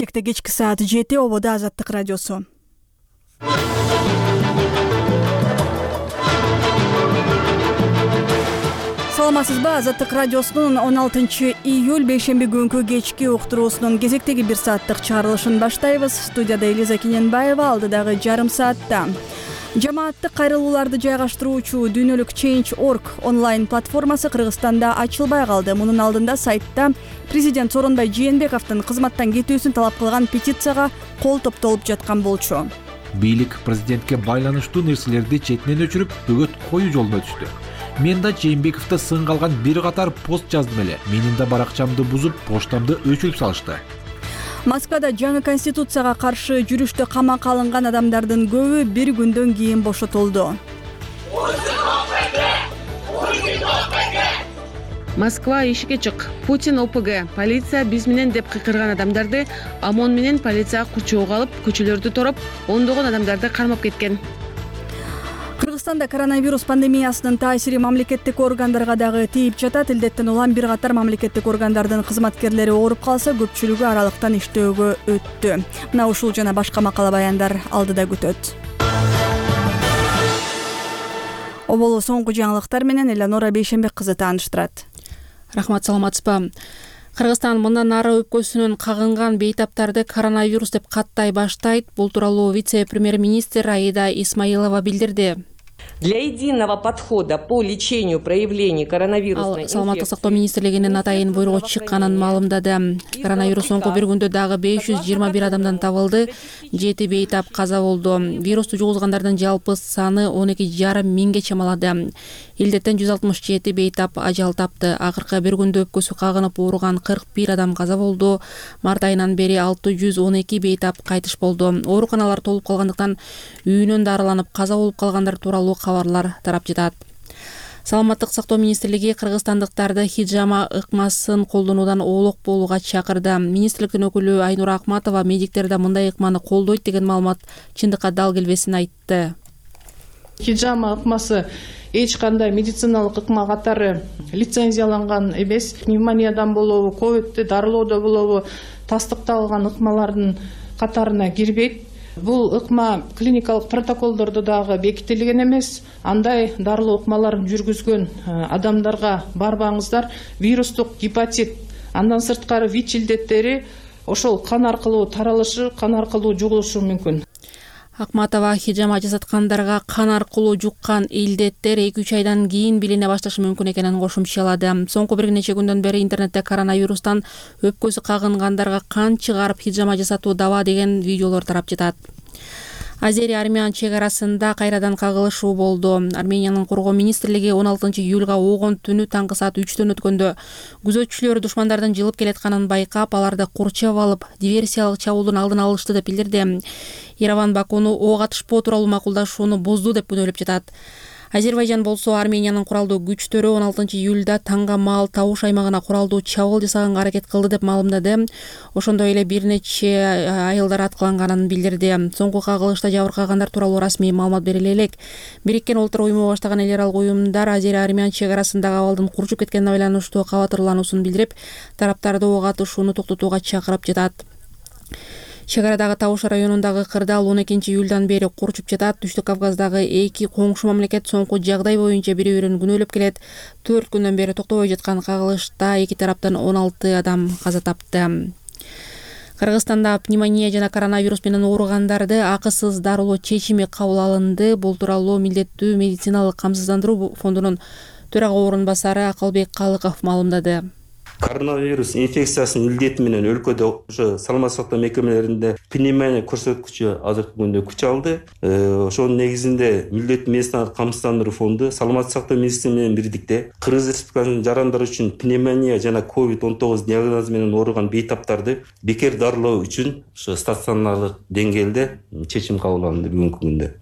Бишкекте кечки саат 7 ободо Азаттык радиосу. Саламатсызбы? Азаттык радиосунун 16-июль бейшемби күнкү кечки уктуруусунун кезектеги 1 сааттык чыгарылышын баштайбыз. Студияда Элиза Кененбаева, алдыдагы жарым саатта жамааттык кайрылууларды жайгаштыруучу дүйнөлүк Change.org онлайн платформасы Кыргызстанда ачылбай калды. Мунун алдында сайтта президент Сооронбай Жээнбековдун кызматтан кетүүсүн талап кылган петицияга кол топтолуп жаткан болчу. Бийлик президентке байланыштуу нерселерди четинен өчүрүп, бөгөт коюу жолуна түштү. Мен да Жээнбековду сынга алган бир катар пост жаздым эле. Менин да баракчамды бузуп, поштамды өчүрүп салышты. Москвада жаңы конституцияга каршы жүрүштө камакка алынган адамдардын көбү бир күндөн кийин бошотулду. Москва ишикке чык. Путин ОПГ. Полиция биз менен деп кыйкырган адамдарды ОМОН менен полиция курчоого алып, көчөлөрдү тороп, ондогон адамдарды кармап кеткен. Кыргызстанда коронавирус пандемиясынын таасири мамлекеттик органдарга дагы тийип жатат. Илдеттен улам бир катар мамлекеттик органдардын кызматкерлери ооруп калса, көпчүлүгү аралыктан иштөөгө өттү. Мына ушул жана башка макала баяндар алдыда күтөт. Оболу соңку жаңылыктар менен Элеонора Бейшембек кызы тааныштырат. Рахмат, саламатсызбы? Кыргызстан мындан ары өпкөсүнөн кагынган бейтаптарды коронавирус деп каттай баштайт. Бул тууралуу вице-премьер-министр Аида Исмаилова билдирди. Для единого подхода по лечению проявлений коронавирусной инфекции. Саламаттык сактоо министрлигинин атайын буйругу чыкканын маалымдады. Коронавирус соңку бир күндө дагы 521 адамдан табылды. 7 бейтап каза болду. Вирусту жугузгандардын жалпы саны 12,5 миңге чамалады. Илдеттен 167 бейтап ажал тапты. Акыркы бир күндө өпкөсү кагынып ооруган 41 адам каза болду. Март айынан бери 612 бейтап кайтыш болду. Ооруканалар толуп калгандыктан үйүнөн дарыланып каза болуп калгандар тууралуу кабарлар тарап жатат. Саламаттык сактоо министрлиги кыргызстандыктарды хиджама ыкмасын колдонуудан оолок болууга чакырды. Министрликтин өкүлү Айнура Акматова медиктерде мындай ыкманы колдойт деген маалымат чындыкка дал келбесин айтты. Хиджама ыкмасы эч кандай медициналык ыкма катары лицензияланган эмес. Пневмониядан болобу, ковидти дарылоодо болобу, тастыкталган ыкмалардын катарына кирбейт. Бул ыкма клиникалык протоколдордо дагы бекитилген эмес. Андай дарылоо ыкмаларын жүргүзгөн адамдарга барбаңыздар. Вирустук гепатит, андан сырткары ВИЧ илдеттери ошол кан аркылуу таралышы, кан аркылуу жугулушу мүмкүн. Акматова хиджама жасаткандарга кан аркылуу жуккан илдеттер 2-3 айдан кийин билине башташы мүмкүн экенин кошумчалады. Соңку бир нече күндөн бери интернетте коронавирустан өпкөсү кагынгандарга кан чыгарып хиджама жасатуу даба деген видеолор тарап жатат. Азери-Армян чек арасында кайрадан кагылышуу болду. Армениянын коргоо министрлиги 16-июлга огон түнү таңкы саат 3төн өткөндө күзөтчүлөр душмандардын жылып келатканын байкап, аларды курчап алып, диверсиялык чабуулдун алдын алышты деп билдирди. Ереван Бакуну ок атышпоо тууралуу макулдашууну бузду деп күнөөлөп жатат. Азербайжан болсо Армениянын куралдуу күчтөрү 16-июлда таңга маал Табуш аймагына куралдуу чабуул жасаганга аракет кылды деп маалымдады. Ошондой эле бир нече айылдар аткыланганын билдирди. Соңку кагылышта жабыркагандар тууралуу расмий маалымат бериле элек. Бириккен Улуттар уюму баштаган эл аралык уюмдар Азери-Армян чек арасындагы абалдын курчуп кеткенине байланыштуу кабатырлануусун билдирип, тараптарды ок атышууну токтотууга чакырып жатат. Чек арадагы Табуш районундагы кырдаал 12-июлдан бери курчуп жатат. Түштүк Кавказдагы эки коңшу мамлекет соңку жагдай боюнча бири-бирин күнөөлөп келет. 4 күндөн бери токтобой жаткан кагылышта эки тараптан 16 адам каза тапты. Кыргызстанда пневмония жана коронавирус менен ооругандарды акысыз дарылоо чечими кабыл алынды. Бул тууралуу Милдеттүү медициналык камсыздандыруу фондунун төрага орун басары Акылбек Калыков маалымдады. Коронавирус инфекциясынын илдети менен өлкөдө ошо саламаттык сактоо мекемелеринде пневмония көрсөткүчү азыркы күндө күч алды. Ошонун негизинде Милдеттүү медициналык камсыздандыруу фонду саламаттык сактоо министрлиги менен бирдикте Кыргыз Республикасынын жарандары үчүн пневмония жана COVID-19 диагнозу менен ооруган бейтаптарды бекер дарылоо үчүн ошо стационарлык деңгээлде чечим кабыл алынды бүгүнкү күндө.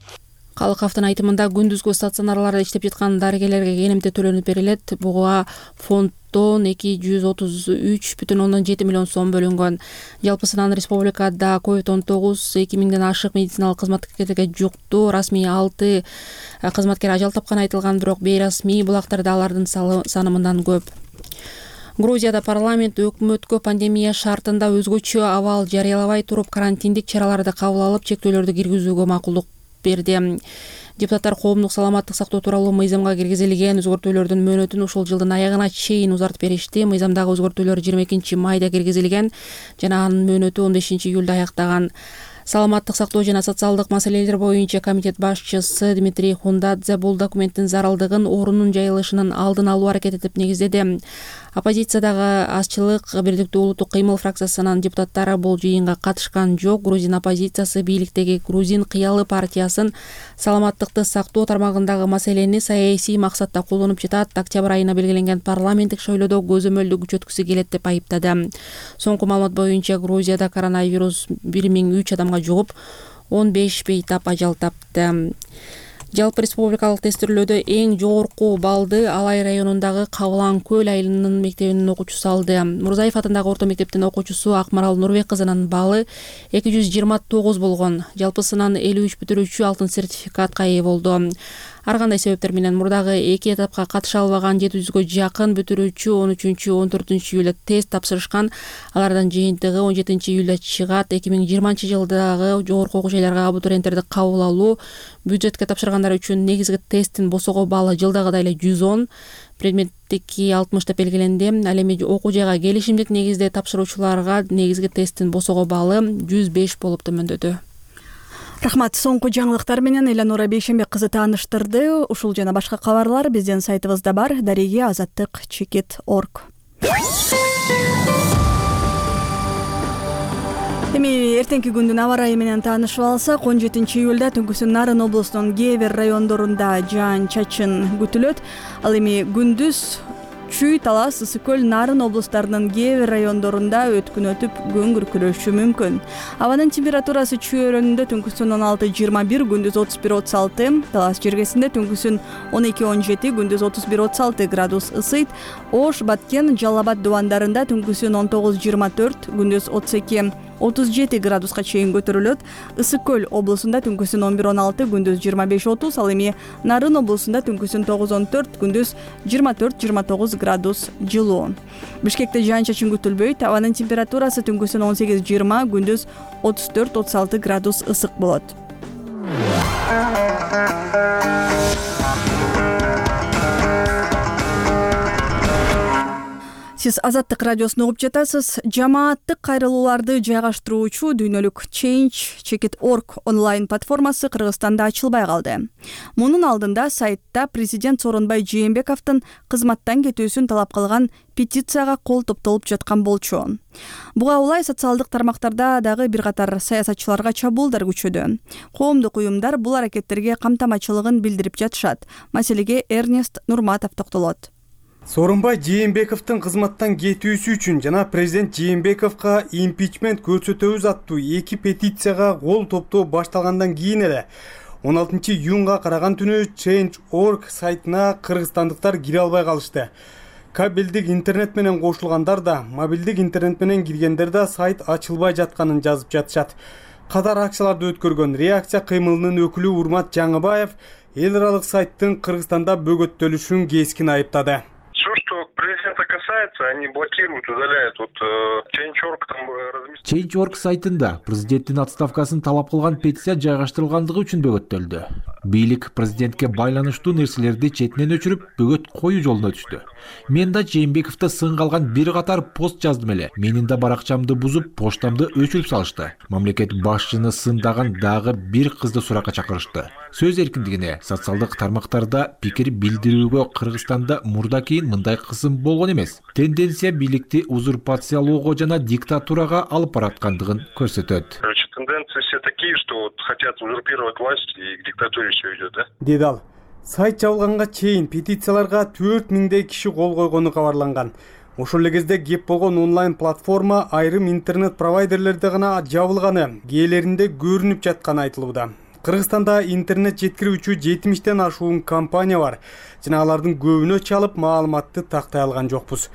Калыковдун айтымында күндүзгү стационарларда иштеп жаткан дарыгерлерге кенемте төлөнүп берилет. Буга фонддон 233,7 миллион сом бөлүнгөн. Жалпысынан республикада COVID-19 2000ден ашык медициналык кызматкерге жукту. Расмий 6 кызматкер ажал тапканы айтылган, бирок бейрасмий булактарда алардын саны мындан көп. Грузияда парламент өкмөткө пандемия шартында өзгөчө абал жарыялабай туруп карантиндик чараларды кабыл алып чектөөлөрдү киргизүүгө макулдук берди. Депутаттар коомдук саламаттык сактоо тууралуу мыйзамга киргизилген өзгөртүүлөрдүн мөөнөтүн ушул жылдын аягына чейин узартып беришти. Мыйзамдагы өзгөртүүлөр 22 майда киргизилген жана анын мөөнөтү 15 июлда аяктаган. Саламаттык сактоо жана социалдык маселелер боюнча комитет башчысы Дмитрий Хундадзе бул документтин зарылдыгын орунун жайылышынын алдын алуу аракет этип негиздеди. Оппозициядагы Азчылык Бирдиктүү улуттук кыймыл фракциясынын депутаттары бул жыйынга катышкан жок. Грузин оппозициясы бийликтеги Грузин кыялы партиясын саламаттыкты сактоо тармагындагы маселени саясий максатта колдонуп жатат. Октябрь айына белгиленген парламенттик шойлоодо көзөмөлдү күчөткүсү келет деп айыптады. Соңку маалымат боюнча Грузияда коронавирус 1003 адамга жугуп 15 бейтап ажал тапты. Жалпы республикалык тестирлөөдө эң жогорку баллды Алай районундагы Кабылан көл айылынын мектебинин окуучусу алды. Мурзаев атындагы орто мектептин окуучусу Акмарал Нурбек кызынын баллы 229 болгон. Жалпысынан 53 бүтүрүүчү алтын сертификатка ээ болду. Ар кандай себептер менен мурдагы эки этапка катыша албаган 700гө жакын бүтүрүүчү 13-14 июлда тест тапшырышкан. Алардын жыйынтыгы 17 июлда чыгат. 2020 жылдагы жогорку окуу жайларга абитуриенттерди кабыл алуу, бюджетке тапшыргандар үчүн негизги тесттин босого баллы жылдагыдай эле 110, предметтики 60 деп белгиленди. Ал эми окуу жайга келишимдик негизде тапшыруучуларга негизги тесттин босого баллы 105 болуп төмөндөдү. Рахмат. Соңку жаңылыктар менен Эланура Бейшембек кызы тааныштырды. Ушул жана башка кабарлар биздин сайтыбызда бар. Дареги азаттык чекит.org. Эми эртеңки күндүн аба ырайы менен таанышып алсак, 17 июлда түнкүсүн Нарын облусунун кээ бир райондорунда жаан-чачын күтүлөт. Ал эми күндүз Чүй, Талас, Ысык көл, Нарын облустарынын кээ бир райондорунда өткүн өтүп күн күркүрөшү мүмкүн. Абанын температурасы Чүй өрөөнүндө түнкүсүн 16-21, күндүз 31-36, Талас жергесинде түнкүсүн 12-17, күндүз 31-36 градус ысыйт. Ош, Баткен, Жалал Абад дубандарында түнкүсүн 19-24, күндүз 32-37 градуска чейин көтөрүлөт. Ысык көл облусунда түнкүсүн 11-16, күндүз 25-30, ал эми Нарын облусунда түнкүсүн 9-14, күндүз 24-29 градус жылуу. Бишкекте жаан-чачын күтүлбөйт. Абанын температурасы түнкүсүн 18-20, күндүз 34-36 градус ысык болот. Сиз Азаттык радиосун угуп жатасыз. Жамааттык кайрылууларды жайгаштыруучу дүйнөлүк Change.org онлайн платформасы Кыргызстанда ачылбай калды. Мунун алдында сайтта президент Сооронбай Жээнбековдун кызматтан кетүүсүн талап кылган петицияга кол топтолуп жаткан болчу. Буга улай социалдык тармактарда дагы бир катар саясатчыларга чабуулдар күчөдү. Коомдук уюмдар бул аракеттерге камтамачылыгын билдирип жатышат. Маселеге Эрнест Нурматов токтолот. Сооронбай Жээнбековдун кызматтан кетүүсү үчүн жана президент Жээнбековго импичмент көрсөтөбүз аттуу эки петицияга кол топтоо башталгандан кийин эле 16 июнга караган түнү Change.org сайтына кыргызстандыктар кире албай калышты. Кабелдик интернет менен кошулгандар да, мобилдик интернет менен киргендер да сайт ачылбай жатканын жазып жатышат. Катар акцияларды өткөргөн реакция кыймылынын өкүлү Урмат Жаңыбаев эл аралык сайттын Кыргызстанда бөгөттөлүшүн кескин айыптады. Все, что президента касается, они блокируют, удаляют. Change.org там Change.org сайтында президенттин отставкасын талап кылган петиция жайгаштырылгандыгы үчүн бөгөттөлдү. Бийлик президентке байланыштуу нерселерди четинен өчүрүп, бөгөт коюу жолуна түштү. Мен да Жээнбековдо сынга алган бир катар пост жаздым эле. Менин да баракчамды бузуп, поштамды өчүрүп салышты. Мамлекет башчыны сындаган дагы бир кызды суракка чакырышты. Сөз эркиндигине, социалдык тармактарда пикир билдирүүгө Кыргызстанда мурда-кийин мындай кысым болгон эмес. Тенденция бийликти узурпациялоого жана диктатурага алып бараткандыгын көрсөтөт. Тенденции все такие, что хотят узурпировать власть и к диктатуре все идет, да? Деди ал. Сайт жабылганга чейин петицияларга 4000 киши кол койгону кабарланган. Ошол эле кезде кеп болгон онлайн платформа айрым интернет провайдерлерде гана жабылганы, кээлеринде көрүнүп жатканы айтылууда. Кыргызстанда интернет жеткирүүчү 70тен ашуун компания бар. Жана алардын көбүнө чалып маалыматты тактай алган жокпуз.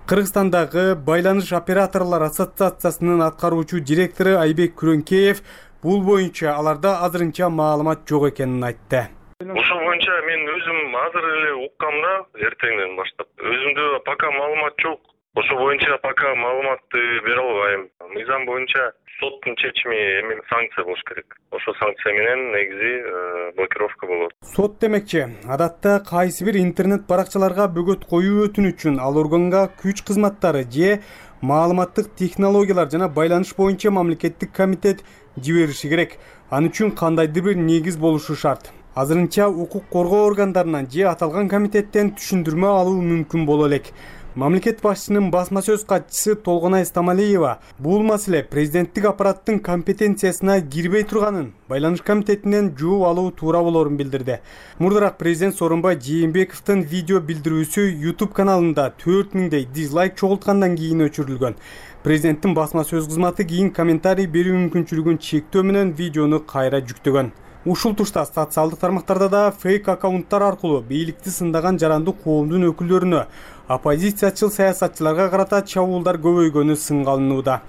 Кыргызстандагы байланыш операторлор ассоциациясынын аткаруучу директору Айбек Күрөнкеев бул боюнча аларда азырынча маалымат жок экенин айтты. Ошол боюнча мен өзүм азыр эле уккам да, эртеңден баштап. Өзүмдө пока маалымат жок. Ошо боюнча пока маалыматты бере албайм. Мыйзам боюнча соттун чечими эми санкция болуш керек. Ошо санкция менен негизи блокировка болот. Сот демекчи, адатта кайсы бир интернет баракчаларга бөгөт коюу өтүнүчүн ал органга күч кызматтары же маалыматтык технологиялар жана байланыш боюнча мамлекеттик комитет жибериши керек. Аны үчүн кандайдыр бир негиз болушу шарт. Азырынча укук коргоо органдарынан же аталган комитеттен түшүндүрмө алуу мүмкүн боло элек. Мамлекет башчысынын басма сөз катчысы Толгонай Стамалиева бул маселе президенттик аппараттын компетенциясына кирбей турганын байланыш комитетинен жооп алуу туура болорун билдирди. Мурдараак президент Сооронбай Жээнбековдун видео билдирүүсү YouTube каналында 4000дей дизлайк чогулткандан кийин өчүрүлгөн. Президенттин басма сөз кызматы кийин комментарий берүү мүмкүнчүлүгүн чектөө менен видеону кайра жүктөгөн. Ушул тушта социалдык тармактарда да фейк аккаунттар аркылуу бийликти сындаган жарандык коомдун өкүлдөрүнө, оппозициячыл саясатчыларга карата чабуулдар көбөйгөнү сынга алынууда.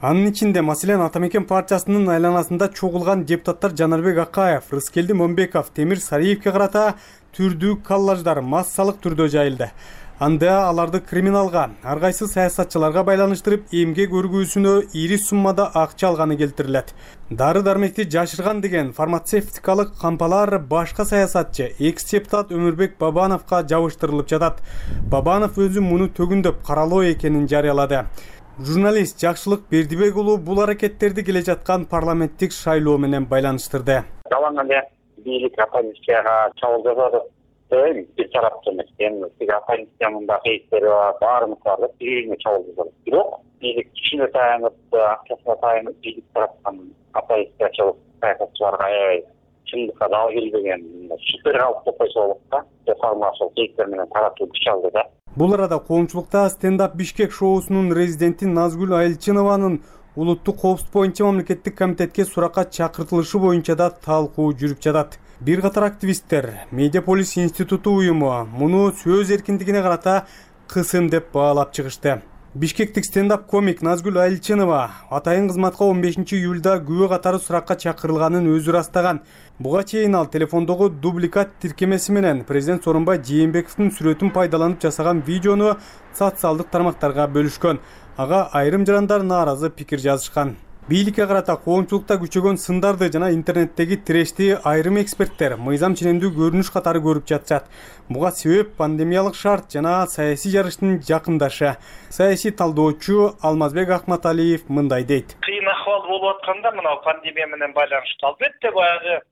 Анын ичинде маселен Ата Мекен партиясынын айланасында чогулган депутаттар Жанарбек Акаев, Рыскелди Момбеков, Темир Сариевке карата түрдүү коллаждар массалык түрдө жайылды. Анда аларды криминалга, ар кайсы саясатчыларга байланыштырып, эмгек өргүүсүнө ири суммада акча алганы келтирилет. Дары-дармекти жашырган деген фармацевтикалык кампалар башка саясатчы, экс-депутат Өмүрбек Бабановго жабыштырылып жатат. Бабанов өзү муну төгүндөп каралоо экенин жарыялады. Журналист Жакшылык Бердибек уулу бул аракеттерди келе жаткан парламенттик шайлоо менен байланыштырды. Жалаң эле бийлик оппозицияга чабуул жасады. Bir taraftan bir oppositsiyanın da кейстери баарымыз бар деп бирine чабуул жасады. Бирок бийлик кишине таянып, акчасына таянып, бийлик тараптан оппозициячылык саясатчыларга аябай чындыкка дал келбеген шүпөр калып койсо болот да. Реформашыл кейстер менен таратуу күч алды да. Бул арада коомчулукта стендап Бишкек шоусунун резиденти Назгүл Айылчынованын улуттук коопсуздук боюнча мамлекеттик комитетке суракка чакыртылышы боюнча да талкуу жүрүп жатат. Бир катар активисттер Медиаполис институту уюму муну сөз эркиндигине карата кысым деп баалап чыгышты. Бишкектик стендап комик Назгүл Айылчынова атайын кызматка 15 июлда күбө катары суракка чакырылганын өзү ырастаган. Буга чейин ал телефондогу дубликат тиркемеси менен президент Сооронбай Жээнбековдун сүрөтүн пайдаланып жасаган видеону социалдык тармактарга бөлүшкөн. Ага айрым жарандар нааразы пикир жазышкан. Бийликке карата коомчулукта күчөгөн сындарды жана интернеттеги тирешти айрым эксперттер мыйзам ченемдүү көрүнүш катары көрүп жатышат. Буга себеп пандемиялык шарт жана саясий жарыштын жакындашы. Саясий талдоочу Алмазбек Акматалиев мындай дейт. Кыйын акыбал болуп атканда мына пандемия менен байланыштуу албетте баягы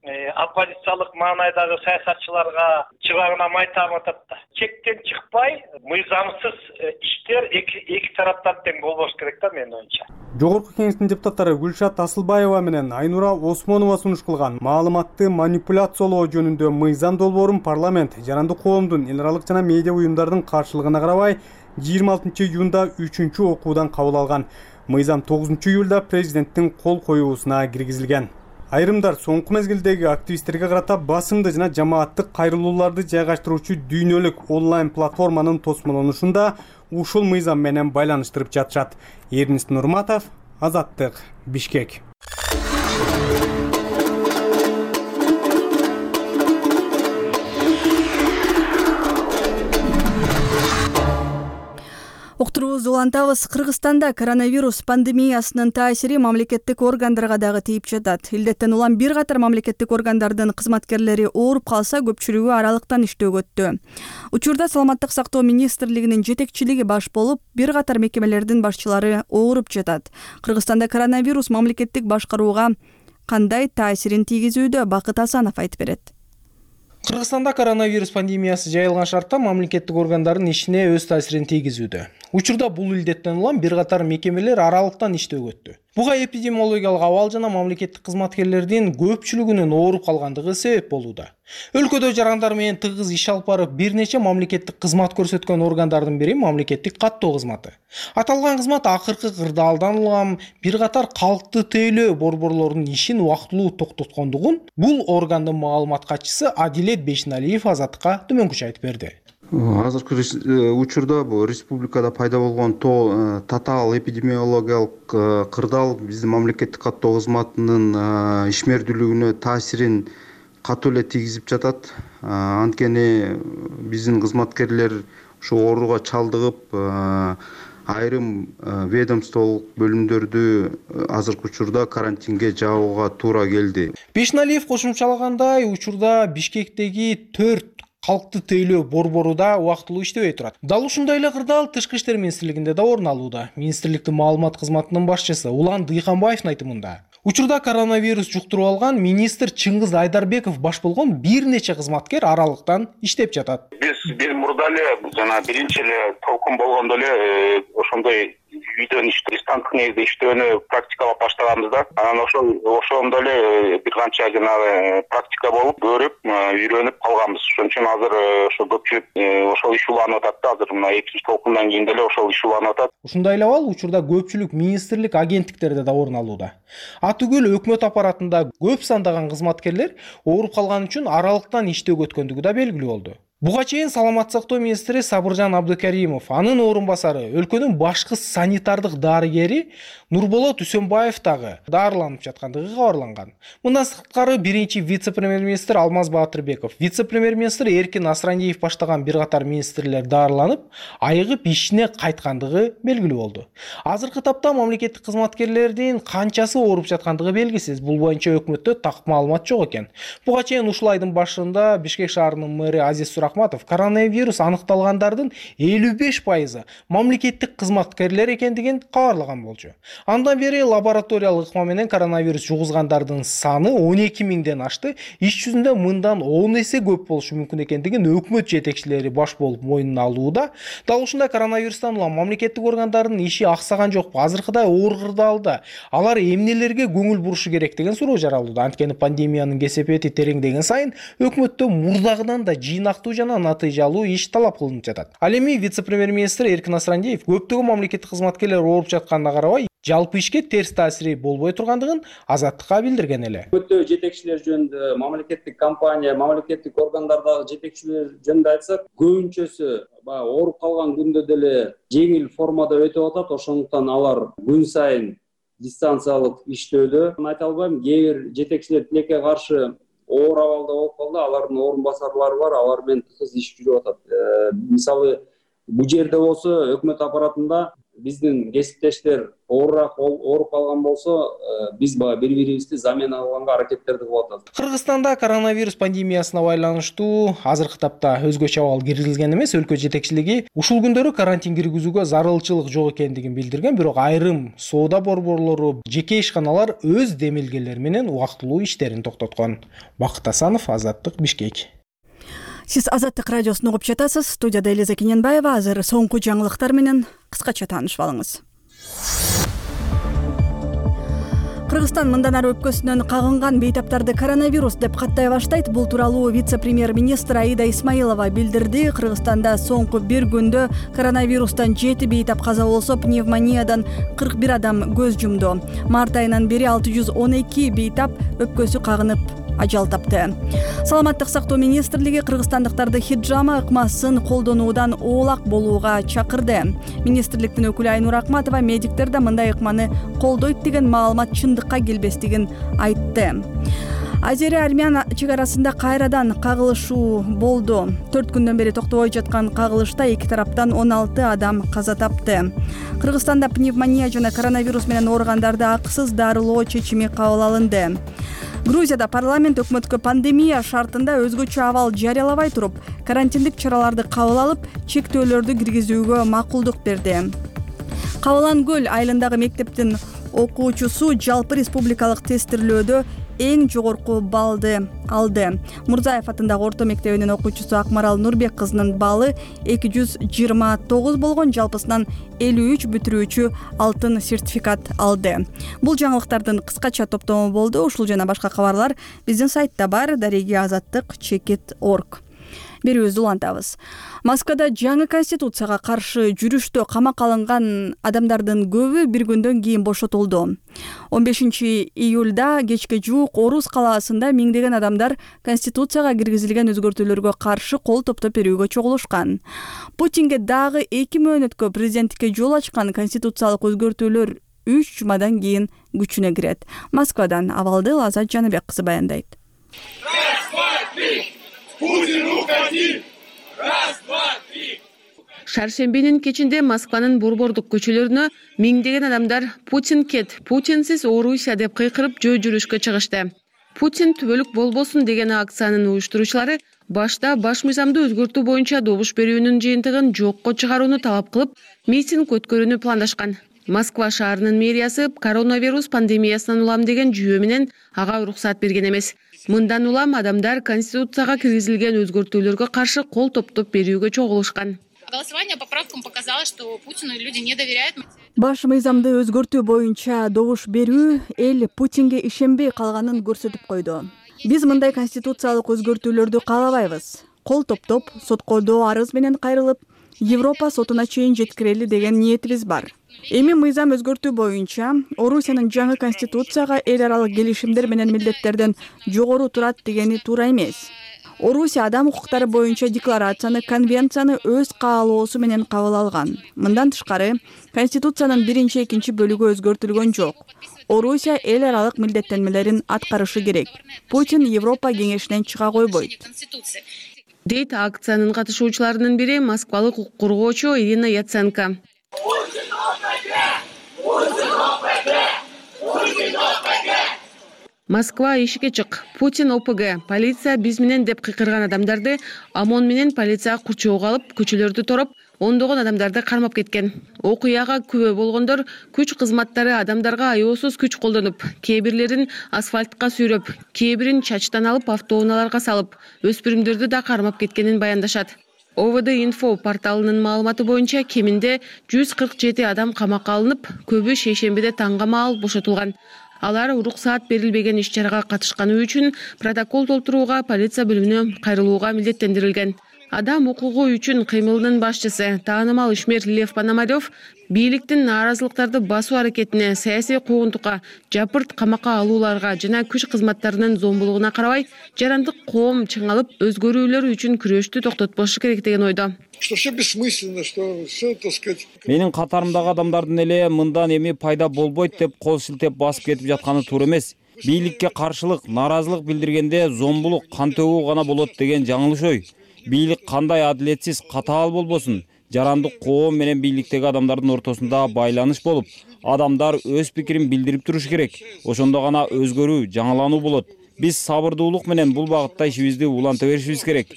оппозициялык маанайдагы саясатчыларга чыбагына май таматат да. Чектен чыкпай, мыйзамсыз иштер эки тараптан тең болбош керек да менин оюмча. Жогорку кеңештин депутаттары Гүлшат Асылбаева менен Айнура Осмонова сунуш кылган маалыматты манипуляциялоо жөнүндө мыйзам долбоорун парламент жарандык коомдун эл аралык жана медиа уюмдардын каршылыгына карабай 26 июнда 3-чү окуудан кабыл алган. Мыйзам 9 июлда президенттин кол коюусуна киргизилген. Айрымдар соңку мезгилдеги активисттерге карата басымды жана жамааттык кайрылууларды жайгаштыруучу дүйнөлүк онлайн платформанын тосмолонушунда ушул мыйзам менен байланыштырып жатышат. Эрнис Нурматов, Азаттык, Бишкек. Уктуруубузду улантабыз. Кыргызстанда коронавирус пандемиясынын таасири мамлекеттик органдарга дагы тийип жатат. Илдеттен улам бир катар мамлекеттик органдардын кызматкерлери ооруп калса, көпчүлүгү аралыктан иштөөгө өттү. Учурда Саламаттык сактоо министрлигинин жетекчилиги баш болуп, бир катар мекемелердин башчылары ооруп жатат. Кыргызстанда коронавирус мамлекеттик башкарууга кандай таасирин тийгизүүдө? Бакыт Асанов айтып берет. Кыргызстанда коронавирус пандемиясы жайылган шартта мамлекеттик органдардын ишине өз таасирин тийгизүүдө. Учурда бул илдеттен улам бир катар мекемелер аралыктан иштөөгө өттү. Буга эпидемиологиялык абал жана мамлекеттик кызматкерлердин көпчүлүгүнүн ооруп калгандыгы себеп болууда. Өлкөдө жарандар менен тыгыз иш алып барып, бир нече мамлекеттик кызмат көрсөткөн органдардын бири мамлекеттик каттоо кызматы. Аталган кызмат акыркы кырдаалдан улам бир катар калкты тейлөө борборлорунун ишин убактылуу токтоткондугун бул органдын маалымат катчысы Адилет Бешиналиев Азаттыкка төмөнкүчө айтып берди. Азыркы учурда бул республикада пайда болгон татаал эпидемиологиялык кырдаал биздин мамлекеттик каттоо кызматынын ишмердүүлүгүнө таасирин катуу эле тийгизип жатат. Анткени биздин кызматкерлер ушу ооруга чалдыгып айрым ведомстволук бөлүмдөрдү азыркы учурда карантинге жабууга туура келди. Бешналиев кошумчалагандай, учурда Бишкектеги 4 калкты тейлөө борбору да убактылуу иштебей турат. Дал ушундай эле кырдаал Тышкы иштер министрлигинде да орун алууда. Министрликтин маалымат кызматынын башчысы Улан Дыйханбаевдин айтымында, учурда коронавирус жуктуруп алган министр Чыңгыз Айдарбеков баш болгон бир нече кызматкер аралыктан иштеп жатат. Биз мурда эле жана биринчи эле толкун болгондо эле ошондой үйдөн дистанттык негизде иштөөнү практикалап баштаганбыз да. Анан ошондо эле бир канча жанагы практика болуп, көрүп, үйрөнүп калганбыз. Ошон үчүн азыр ошо көпчүлүк ошол иш уланып атат да. Азыр мына экинчи толкундан кийин деле ошол иш уланып атат. Ушундай эле абал учурда көпчүлүк министрлик, агенттиктерде да орун алууда. Түгүл өкмөт аппаратында көп сандаган кызматкерлер ооруп калган үчүн аралыктан иштөөгө өткөндүгү да белгилүү болду. Буга чейин саламаттык сактоо министри Сабыржан Абдыкаримов, анын орун басары, өлкөнүн башкы санитардык дарыгери Нурболот Үсөнбаев дагы дарыланып жаткандыгы кабарланган. Мындан сырткары биринчи вице-премьер-министр Алмаз Баатырбеков, вице-премьер-министр Эркин Асрандиев баштаган бир катар министрлер дарыланып, айыгып ишине кайткандыгы белгилүү болду. Азыркы тапта мамлекеттик кызматкерлердин канчасы ооруп жаткандыгы белгисиз. Бул боюнча өкмөттө так маалымат жок экен. Буга чейин ушул айдын башында Бишкек шаарынын мэри Азиз Сурахматов коронавирус аныкталгандардын 55% мамлекеттик кызматкерлер экендигин кабарлаган болчу. Андан бери лабораториялык ыкма менен коронавирус жугузгандардын саны 12 миңден ашты. Иш жүзүндө мындан 10 эсе көп болушу мүмкүн экендигин өкмөт жетекчилери баш болуп мойнуна алууда. Дал ушундай коронавирустан улам мамлекеттик органдардын иши аксаган жокпу? Азыркыдай оор кырдаалда алар эмнелерге көңүл бурушу керек деген суроо жаралууда. Анткени пандемиянын кесепети тереңдеген сайын өкмөттө мурдагыдан да жыйнактуу жана натыйжалуу иш талап кылынып жатат. Ал эми вице-премьер-министр Эркин Асрандиев көптөгөн мамлекеттик кызматкерлер ооруп жатканына карабай, жалпы ишке терс таасири болбой тургандыгын Азаттыкка билдирген эле. Өкмөттө жетекчилер жөнүндө, мамлекеттик компания, мамлекеттик органдардагы жетекчилер жөнүндө айтсак, көбүнчөсү ооруп калган күндө деле жеңил формада өтүп атат. Ошондуктан алар күн сайын дистанциялык иштөөдө. Айта албайм, кээ бир жетекчилер тилекке каршы оор абалда болуп калды. Алардын орун басарлары бар, алар менен тыгыз иш жүрүп атат. Мисалы, бул жерде болсо өкмөт аппаратында биздин кесиптештер ооруп калган болсо, биз бири-бирибизди замена кылганга аракеттерди кылып атабыз. Кыргызстанда коронавирус пандемиясына байланыштуу азыркы тапта өзгөчө абал киргизилген эмес. Өлкө жетекчилиги ушул күндөрү карантин киргизүүгө зарылчылык жок экендигин билдирген, бирок айрым соода борборлору, жеке ишканалар өз демилгелери менен убактылуу иштерин токтоткон. Бакыт Асанов, Азаттык, Бишкек. Сиз Азаттык радиосун угуп жатасыз. Студияда Элиза Кененбаева. Азыр соңку жаңылыктар менен кыскача таанышып алыңыз. Кыргызстан мындан ары өпкөсүнөн кагынган бейтаптарды коронавирус деп каттай баштайт. Бул тууралуу вице-премьер-министр Аида Исмаилова билдирди. Кыргызстанда соңку бир күндө коронавирустан 7 бейтап каза болсо, пневмониядан 41 адам көз жумду. Март айынан бери 612 бейтап өпкөсү кагынып ажал тапты. Саламаттык сактоо министрлиги кыргызстандыктарды хиджама ыкмасын колдонуудан оолак болууга чакырды. Министрликтин өкүлү Айнур Акматова медиктер да мындай ыкманы колдойт деген маалымат чындыкка келбестигин айтты. Азери-армян чек арасында кайрадан кагылышуу болду. 4 күндөн бери токтобой жаткан кагылышта эки тараптан 16 адам каза тапты. Кыргызстанда пневмония жана коронавирус менен ооругандарды акысыз дарылоо чечими кабыл алынды. Грузияда парламент өкмөткө пандемия шартында өзгөчө абал жарыялабай туруп, карантиндик чараларды кабыл алып, чектөөлөрдү киргизүүгө макулдук берди. Кабылан көл айылындагы мектептин окуучусу жалпы республикалык тестирлөөдө эң жогорку баллды алды. Мурзаев атындагы орто мектебинин окуучусу Акмарал Нурбек кызынын баллы 229 болгон, жалпысынан 53 бүтүрүүчү алтын сертификат алды. Бул жаңылыктардын кыскача топтому болду. Ушул жана башка кабарлар биздин сайтта бар, darigi-azattik.org. Берүүбүздү улантабыз. Москвада жаңы конституцияга каршы жүрүштө камакка алынган адамдардын көбү бир күндөн кийин бошотулду. 15-июлда кечке жуук Орус калаасында миңдеген адамдар конституцияга киргизилген өзгөртүүлөргө каршы кол топтоп берүүгө чогулушкан. Путинге дагы 2 мөөнөткө президенттикке жол ачкан конституциялык өзгөртүүлөр 3 жумадан кийин күчүнө кирет. Москвадан абалды Лазат Жаныбек кызы баяндайт. Путин, уходи! Раз, два, три! Шаршембинин кечинде Москванын борбордук көчөлөрүнө миңдеген адамдар «Путин кет, Путинсиз Орусия» деп кыйкырып жөө жүрүшкө чыгышты. Путин түбөлүк болбосун деген акциянын уюштуруучулары башта баш мыйзамды өзгөртүү боюнча добуш берүүнүн жыйынтыгын жокко чыгарууну талап кылып, митинг өткөрүүнү пландашкан. Москва шаарынын мэриясы коронавирус пандемиясынан улам деген жүйө менен ага уруксат берген эмес. Мындан улам адамдар Конституцияга киргизилген өзгөртүүлөргө каршы кол топтоп берүүгө чогулушкан. Голосование по поправкам показало, что Путину люди не доверяют. Баш мыйзамды өзгөртүү боюнча добуш берүү эл Путинге ишенбей калганын көрсөтүп койду. Биз мындай конституциялык өзгөртүүлөрдү каалабайбыз. Кол топтоп, соткоодо арыз менен кайрылып, Европа сотуна чейин жеткирели деген ниетибиз бар. Эми мыйзам өзгөртүү боюнча Орусиянын жаңы конституцияга эл аралык келишимдер менен милдеттерден жогору турат дегени туура эмес. Орусия адам укуктары боюнча декларацияны, конвенцияны өз каалоосу менен кабыл алган. Мындан тышкары, Конституциянын 1-2 бөлүгү өзгөртүлгөн жок. Орусия эл аралык милдеттенмелерин аткарышы керек. Путин Европа кеңешинен чыга койбойт. Дейт акциянын катышуучуларынын бири москвалык укук коргоочу Ирина Яценко. Москва ишикке чык. Путин ОПГ. Полиция биз менен деп кыйкырган адамдарды ОМОН менен полиция курчоого алып, көчөлөрдү тороп, ондогон адамдарды кармап кеткен. Окуяга күбө болгондор күч кызматтары адамдарга аеосуз күч колдонуп, кээ бирлерин асфальтка сүйрөп, кээ бирин чачтан алып автоунааларга салып, өспүрүмдөрдү да кармап кеткенин баяндашат. ОВД Info порталынын маалыматы боюнча кеминде 147 адам камакка алынып, көбү шейшембиде таңга маал бошотулган. Алар уруксаат берилбеген иш-чарага катышканы үчүн протокол толтурууга полиция бөлүмүнө кайрылууга милдеттендирилген. Адам укугу үчүн кыймылынын башчысы, таанымал ишмер Лев Пономарев бийликтин нааразылыктарды басуу аракетине, саясий куугунтукка, жапырт камакка алууларга жана күч кызматтарынын зомбулугуна карабай, жарандык коом чыңалып, өзгөрүүлөр үчүн күрөштү токтотпошу керек деген ойдо. Что все бессмысленно, что все, так сказать. Менин катарымдагы адамдардын эле мындан эми пайда болбойт деп кол шилтеп басып кетип жатканы туура эмес. Бийликке каршылык, нааразылык билдиргенде зомбулук, кан төгүү гана болот деген жаңылыш ой. Бийлик кандай адилетсиз, катаал болбосун, жарандык коом менен бийликтеги адамдардын ортосунда байланыш болуп, адамдар өз пикирин билдирип туруш керек. Ошондо гана өзгөрүү, жаңылануу болот. Биз сабырдуулук менен бул багытта ишибизди уланта беришибиз керек.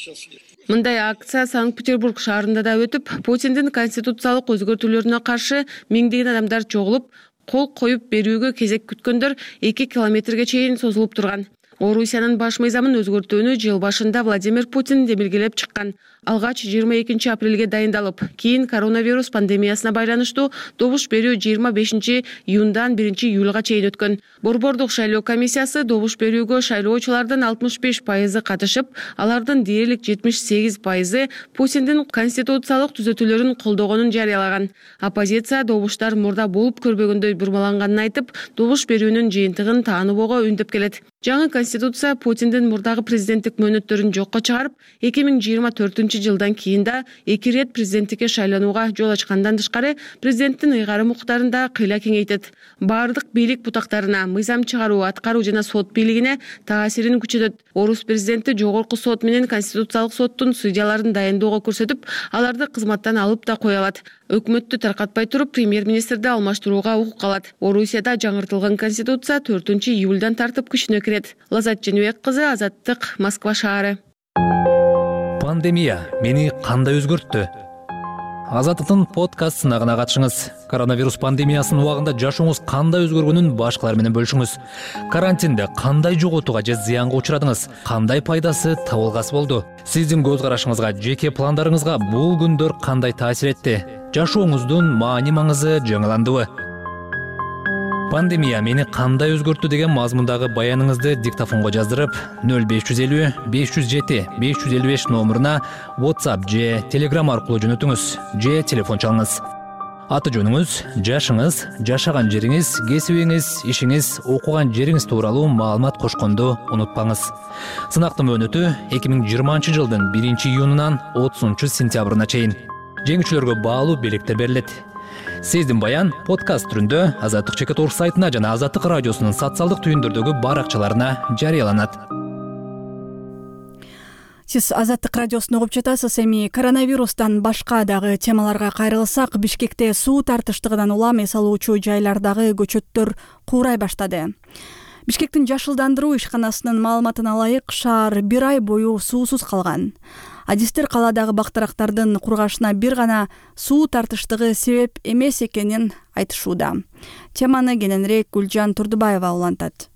Мындай акция Санкт-Петербург шаарында да өтүп, Путиндин конституциялык өзгөртүүлөрүнө каршы миңдеген адамдар чогулуп, кол коюп берүүгө кезек күткөндөр 2 километрге чейин созулуп турган. Орусиянын баш мыйзамын өзгөртүүнү жыл башында Владимир Путин демилгелеп чыккан. Алгач 22 апрелге дайындалып, кийин коронавирус пандемиясына байланыштуу добуш берүү 25 июндан 1 июлга чейин өткөн. Борбордук шайлоо комиссиясы добуш берүүгө шайлоочулардын 65% катышып, алардын дээрлик 78% Путиндин конституциялык түзөтүүлөрүн колдогонун жарыялаган. Оппозиция добуштар мурда болуп көрбөгөндөй бурмаланганын айтып, добуш берүүнүн жыйынтыгын тааныбоого үндөп келет. Жаңы конституция Путиндин мурдагы президенттик мөөнөттөрүн жокко чыгарып, 2024 жылдан кийин да 2 рет президенттикке шайланууга жол ачкандан тышкары, президенттин ыйгарым укуктарын да кыйла кеңейтет. Бардык бийлик бутактарына, мыйзам чыгаруу, аткаруу жана сот бийлигине таасирин күчөтөт. Орус президенти жогорку сот менен конституциялык соттун судьяларын дайындоого көрсөтүп, аларды кызматтан алып да кое алат. Өкмөттү таркатпай туруп, премьер-министрди алмаштырууга укук алат. Орусияда жаңыртылган конституция 4 июлдан тартып күчүнө кирет. Лазат Женебек кызы, Азаттык, Москва шаары. Пандемия мени кандай өзгөрттү? Азаттыктын подкаст сынагына катышыңыз. Коронавирус пандемиясынын убагында жашооңуз кандай өзгөргөнүн башкалар менен бөлүшүңүз. Карантинде кандай жоготууга же зыянга учурадыңыз? Кандай пайдасы, табылгасы болду? Сиздин көз карашыңызга, жеке пландарыңызга бул күндөр кандай таасир этти? Жашооңуздун маани-маңызы жаңыландыбы? Пандемия мени кандай өзгөрттү деген мазмундагы баяныңызды диктофонго жаздырып 0550 507 555 номуруна WhatsApp же Telegram аркылуу жөнөтүңүз же телефон чалыңыз. Аты жөнүңүз, жашыңыз, жашаган жериңиз, кесибиңиз, ишиңиз, окуган жериңиз тууралуу маалымат кошконду унутпаңыз. Сынактын мөөнөтү 2020 жылдын 1 июнунан 30 сентябрына чейин. Жеңүүчүлөргө баалуу белектер берилет. Сиздин баян подкаст түрүндө Азаттык.org сайтына жана Азаттык радиосунун социалдык түйүндөрдөгү баракчаларына жарыяланат. Сиз Азаттык радиосун угуп жатасыз. Эми коронавирустан башка дагы темаларга кайрылсак, Бишкекте суу тартыштыгынан улам эс алуучу жайлардагы көчөттөр куурай баштады. Бишкектин жашылдандыруу ишканасынын маалыматына ылайык, шаар 1 ай бою суусуз калган. Адистер калаадагы бактарактардын кургашына бир гана суу тартыштыгы себеп эмес экенин айтышууда. Теманы кененирээк Гүлжан Турдубаева улантат.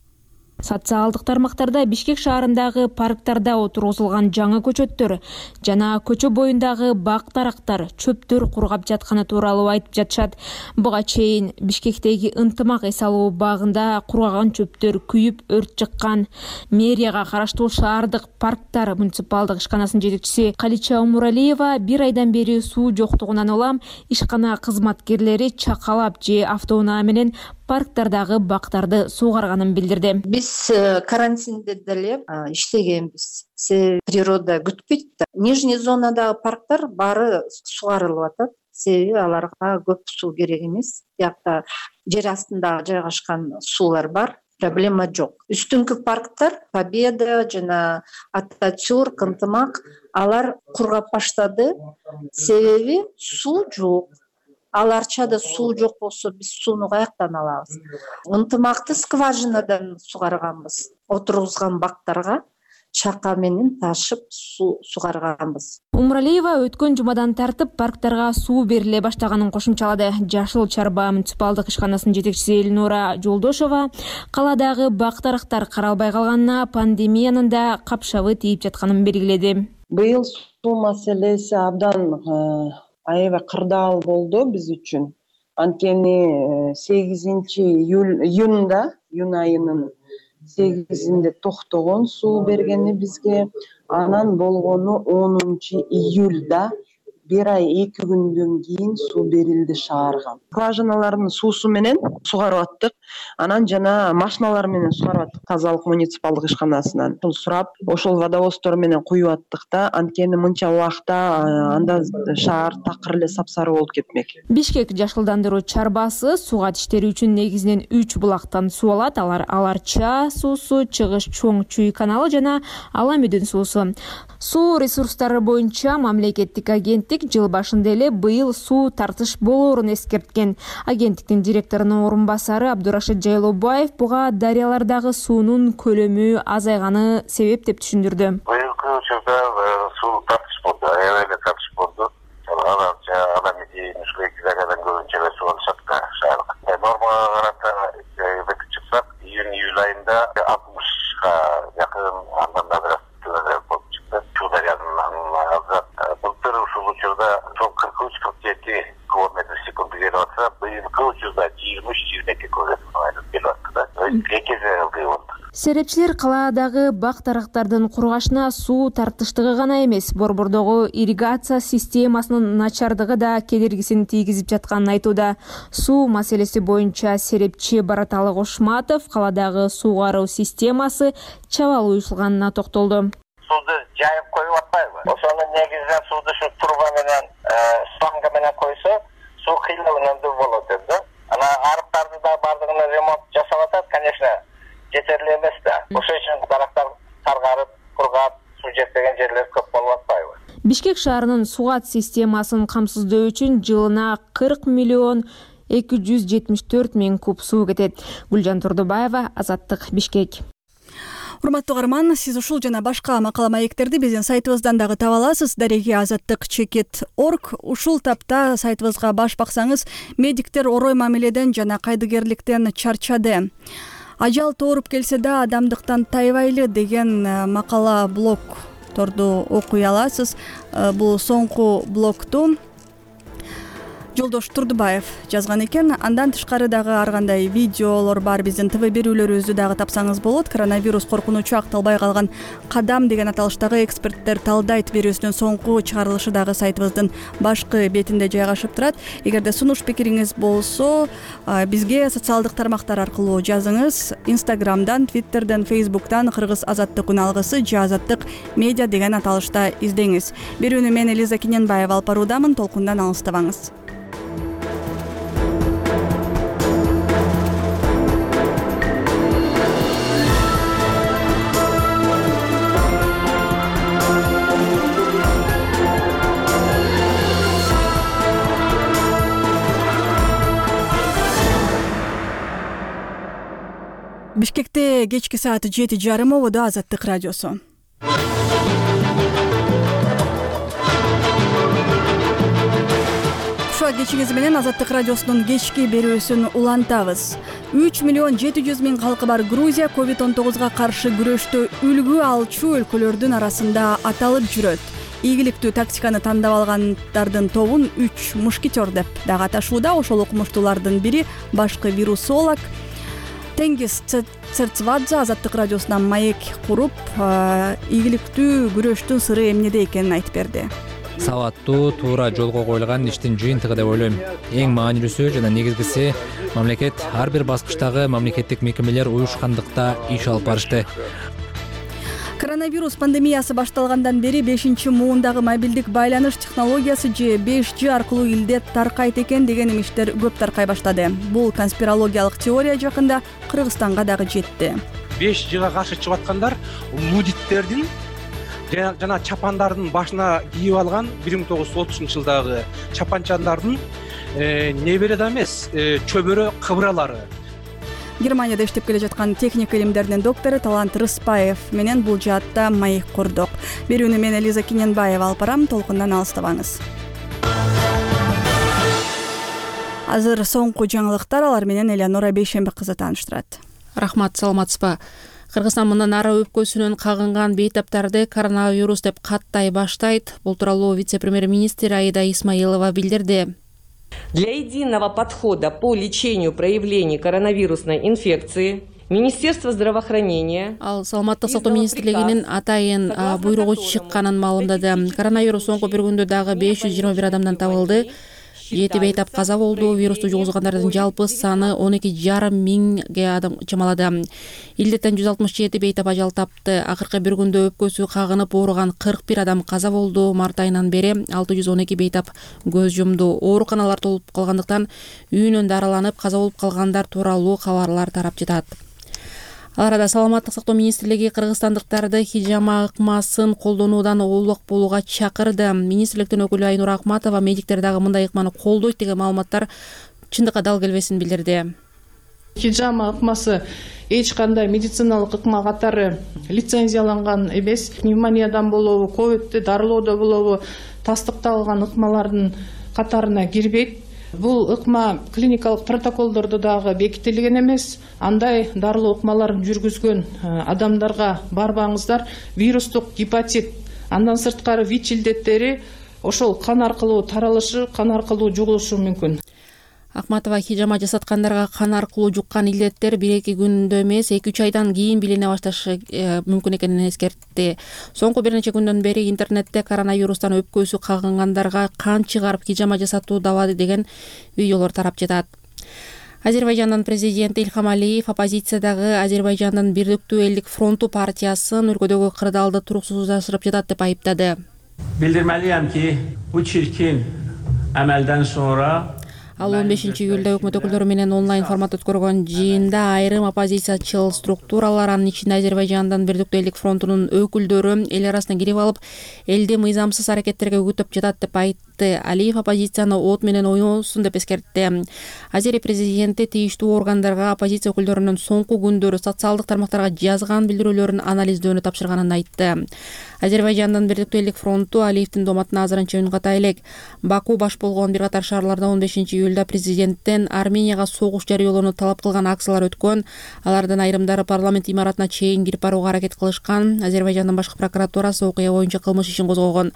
Социалдык тармактарда Бишкек шаарындагы парктарда отургузулган жаңы көчөттөр жана көчө боюндагы бак-дарактар, чөптөр кургап жатканы тууралуу айтып жатышат. Буга чейин Бишкектеги Ынтымак эс алуу багында кургаган чөптөр күйүп өрт чыккан. Мэрияга караштуу шаардык парктар муниципалдык ишканасынын жетекчиси Калича Умуралиева 1 айдан бери суу жоктугунан улам ишкана кызматкерлери чакалап же автоунаа менен парктардагы бактарды суугарганын билдирди. Биз карантинде деле иштегенбиз. Природа күтпөйт да. Нижний зонадагы парктар баары суугарылып атат. Себеби аларга көп суу керек эмес. Биякта жер астында жайгашкан суулар бар. Проблема жок. Үстүнкү парктар Победа жана Ататюрк, Ынтымак алар кургап баштады. Себеби суу жок. Аларчада суу жок болсо биз сууну каяктан алабыз? Ынтымакты скважинадан суугарганбыз. Отургузган бактарга чака менен ташып суугарганбыз. Умуралиева өткөн жумадан тартып парктарга суу бериле баштаганын кошумчалады. Жашыл Чарба муниципалдык ишканасынын жетекчиси Элнура Жолдошова каладагы бак-дарактар каралбай калганына пандемиянын да капшабы тийип жатканын белгиледи. Быйыл суу маселеси абдан аябай кырдаал болду биз үчүн. Анткени 8-июнь айынын 8-inde токтогон суу бергени бизге, анан болгону 10-июльда 1 ай 2 күндөн кийин суу берилди шаарга. Скважиналардын суусу менен суугарып аттык. Анан жана машиналар менен суугарып аттык. Тазалык муниципалдык ишканасынан сурап, ошол водовоздор менен куюп аттык да. Анткени мынча убакта анда шаар такыр эле сапсары болуп кетмек. Бишкек жашылдандыруу чарбасы сууга тиштери үчүн негизинен 3 булактан суу алат. Алар Аларча суусу, Чыгыш Чоң Чүй каналы жана Аламүдүн суусу. Суу ресурстары боюнча мамлекеттик агенттик жыл башында эле быйыл суу тартыш болоорун эскерткен. Агенттиктин директорунун орун басары Абдурашид Жайлобаев буга дарыялардагы суунун көлөмү азайганы себеп деп түшүндүрдү. Быйылкы учурда суу тартыш болду, аябай тартыш болду. Аларча, Аламүдүн, Мушкулекидагадан көбүнчө суу алышат шаарга. Нормага карата чыксак, июнь айында 60га жакын, андан да бир болуп чыкты. Чуу дарыянын азат. Былтыр ушул учурда 43-47 кубометр секунд келип атса, быйылкы учурда 23-22 кубометр келип атты да. Серепчилер калаадагы бак-дарактардын кургашына суу тартыштыгы гана эмес, борбордогу ирригация системасынын начардыгы да кедергисин тийгизип жатканын айтууда. Суу маселеси боюнча серепчи Бараталы Кошматов каладагы суугаруу системасы чабал уюшулганына токтолду. Сууду жайып коюп атпайбы? Ошонун негизинен сууду ушу труба менен шланга менен койсо, суу кыйналгандуу болот да. Анан арыктарды да бардыгына ремонт жасап атат, конечно, жетерли эмес да. Ошол үчүн дарактар таргарып, кургап, суу жетпеген жерлер көп болуп атпайбы? Бишкек шаарынын сугат системасын камсыздоо үчүн жылына 40 миллион 274 миң куб суу кетет. Гүлжан Турдубаева, Азаттык, Бишкек. Урматтуу каарман, сиз ушул жана башка макала маектерди биздин сайтыбыздан дагы таба аласыз. Дареги azattik.org. Ушул тапта сайтыбызга баш баксаңыз, медиктер орой мамиледен жана кайдыгерликтен чарчады. Ажал тооруп келсе да адамдыктан тайбайлы деген макала блогторду окуй аласыз. Бул соңку блогту Жолдош Турдубаев жазган экен. Андан тышкары дагы ар кандай видеолор бар. Биздин ТВ берүүлөрүбүздү дагы тапсаңыз болот. Коронавирус коркунучу акталбай калган кадам деген аталыштагы эксперттер талдайт берүүсүнүн соңку чыгарылышы дагы сайтыбыздын башкы бетинде жайгашып турат. Эгерде сунуш пикириңиз болсо, бизге социалдык тармактар аркылуу жазыңыз. Инстаграмдан, Твиттерден, Фейсбуктан Кыргыз Азаттык үналгысы же Азаттык медиа деген аталышта издеңиз. Берүүнү мен Элиза Киненбаева алып баруудамын. Толкундан алыстабаңыз. Бишкекте кечки саат 7:30 ободо Азаттык радиосу. Ушул кечиңиз менен Азаттык радиосунун кечки берүүсүн улантабыз. 3.700.000 калкы бар Грузия COVID-19 каршы күрөштө үлгү алчу өлкөлөрдүн арасында аталып жүрөт. Ийгиликтүү тактиканы тандап алгандардын тобун 3 мушкетер деп дагы аташууда. Ошол окумуштуулардын бири башкы вирусолог Тенгиз Церцвадзе Азаттык радиосунан маек куруп, ийгиликтүү күрөштүн сыры эмнеде экенин айтып берди. Сабаттуу, туура жолго коюлган иштин жыйынтыгы деп ойлойм. Эң маанилүүсү жана негизгиси мамлекет ар бир баскычтагы мамлекеттик мекемелер уюшкандыкта иш алып барышты. Коронавирус пандемиясы башталгандан бери 5-муундагы мобилдик байланыш технологиясы же 5G аркылуу илдет таркайт экен деген имиштер көп таркай баштады. Бул конспирологиялык теория жакында Кыргызстанга дагы жетти. 5G'га каршы чыгып аткандар лудиттердин жана чапандардын башына кийип алган 1930-жылдагы чапанчандардын небере да эмес, чөбөрө кыбыралары. Германияда иштеп келе жаткан техника илимдеринин доктору Талант Рыспаев менен бул жаатта маек курдук. Берүүнү мен Элиза Киненбаева алып барам, толкундан алыстабаңыз. Азыр соңку жаңылыктар, алар менен Элеонора Бейшембек кызы тааныштырат. Рахмат, саламатсызбы? Кыргызстан мындан ары өпкөсүнөн кагынган бейтаптарды коронавирус деп каттай баштайт. Бул тууралуу вице-премьер-министр Аида Исмаилова билдирди. Для единого подхода по лечению проявлений коронавирусной инфекции Министерство здравоохранения Саламаттык сактоо министрлигинин атайын буйругу чыкканын маалымдады. Коронавирус соңку бир күндө дагы 521 адамдан табылды. 7 бейтап каза болду. Вирусту жугузгандардын жалпы саны 12,5 миңге адам чамалады. Илдеттен 167 бейтап ажал тапты. Акыркы бир күндө өпкөсү кагынып ооруган 41 адам каза болду. Март айынан бери 612 бейтап көз жумду. Ооруканалар толуп калгандыктан үйүнөн дарыланып каза болуп калгандар тууралуу кабарлар тарап жатат. Ал арада Саламаттык сактоо министрлиги кыргызстандыктарды хижама ыкмасын колдонуудан улук болууга чакырды. Министрликтин өкүлү Айнура Акматова медиктер дагы мындай ыкманы колдойт деген маалыматтар чындыкка дал келбесин билдирди. Хижама ыкмасы эч кандай медициналык ыкма катары лицензияланган эмес. Пневмониядан болобу, ковидти дарылоодо болобу тастыкталган ыкмалардын катарына кирбейт. Бул ыкма клиникалык протоколдордо дагы бекитилген эмес. Андай дарылоо ыкмаларын жүргүзгөн адамдарга барбаңыздар. Вирустук гепатит, андан сырткары ВИЧ илдеттери ошол кан аркылуу таралышы, кан аркылуу жугулушу мүмкүн. Акматова хижама жасаткандарга кан аркылуу жуккан илдеттер 1-2 күндө эмес, 2-3 айдан кийин билине башташы мүмкүн экенин эскертти. Соңку бир нече күндөн бери интернетте коронавирустан өпкөсү кагынгандарга кан чыгарып хижама жасатуу дабады деген видеолор тарап жатат. Азербайжандын президенти Ильхам Алиев оппозициядагы Азербайжандын Бирдиктүү элдик фронту партиясын өлкөдөгү кырдаалды туруксуздашырып жатат деп айыптады. Билдирмелiyim ki bu çirkin əməldən sonra Ал 15-июлда өкмөт өкүлдөрү менен онлайн формат өткөргөн жыйында айрым оппозициячыл структуралар, анын ичинде Азербайжандын Бирдиктүү элдик фронтунун өкүлдөрү эл арасына кирип алып, элди мыйзамсыз аракеттерге үгүттөп жатат деп айтты. Алиев оппозицияны от менен ойносун деп эскертти. Азери президенти тийиштүү органдарга оппозиция өкүлдөрүнүн соңку күндөрү социалдык тармактарга жазган билдирүүлөрүн анализдөөнү тапшырганын айтты. Азербайжандын Бирдиктүү элдик фронту Алиевдин доматына азырынча үн ката элек. Баку баш болгон бир катар шаарларда 15-июлда президенттен Арменияга согуш жарыялоону талап кылган акциялар өткөн. Алардын айрымдары парламент имаратына чейин кирип барууга аракет кылышкан. Азербайжандын башкы прокуратурасы окуя боюнча кылмыш ишин козгогон.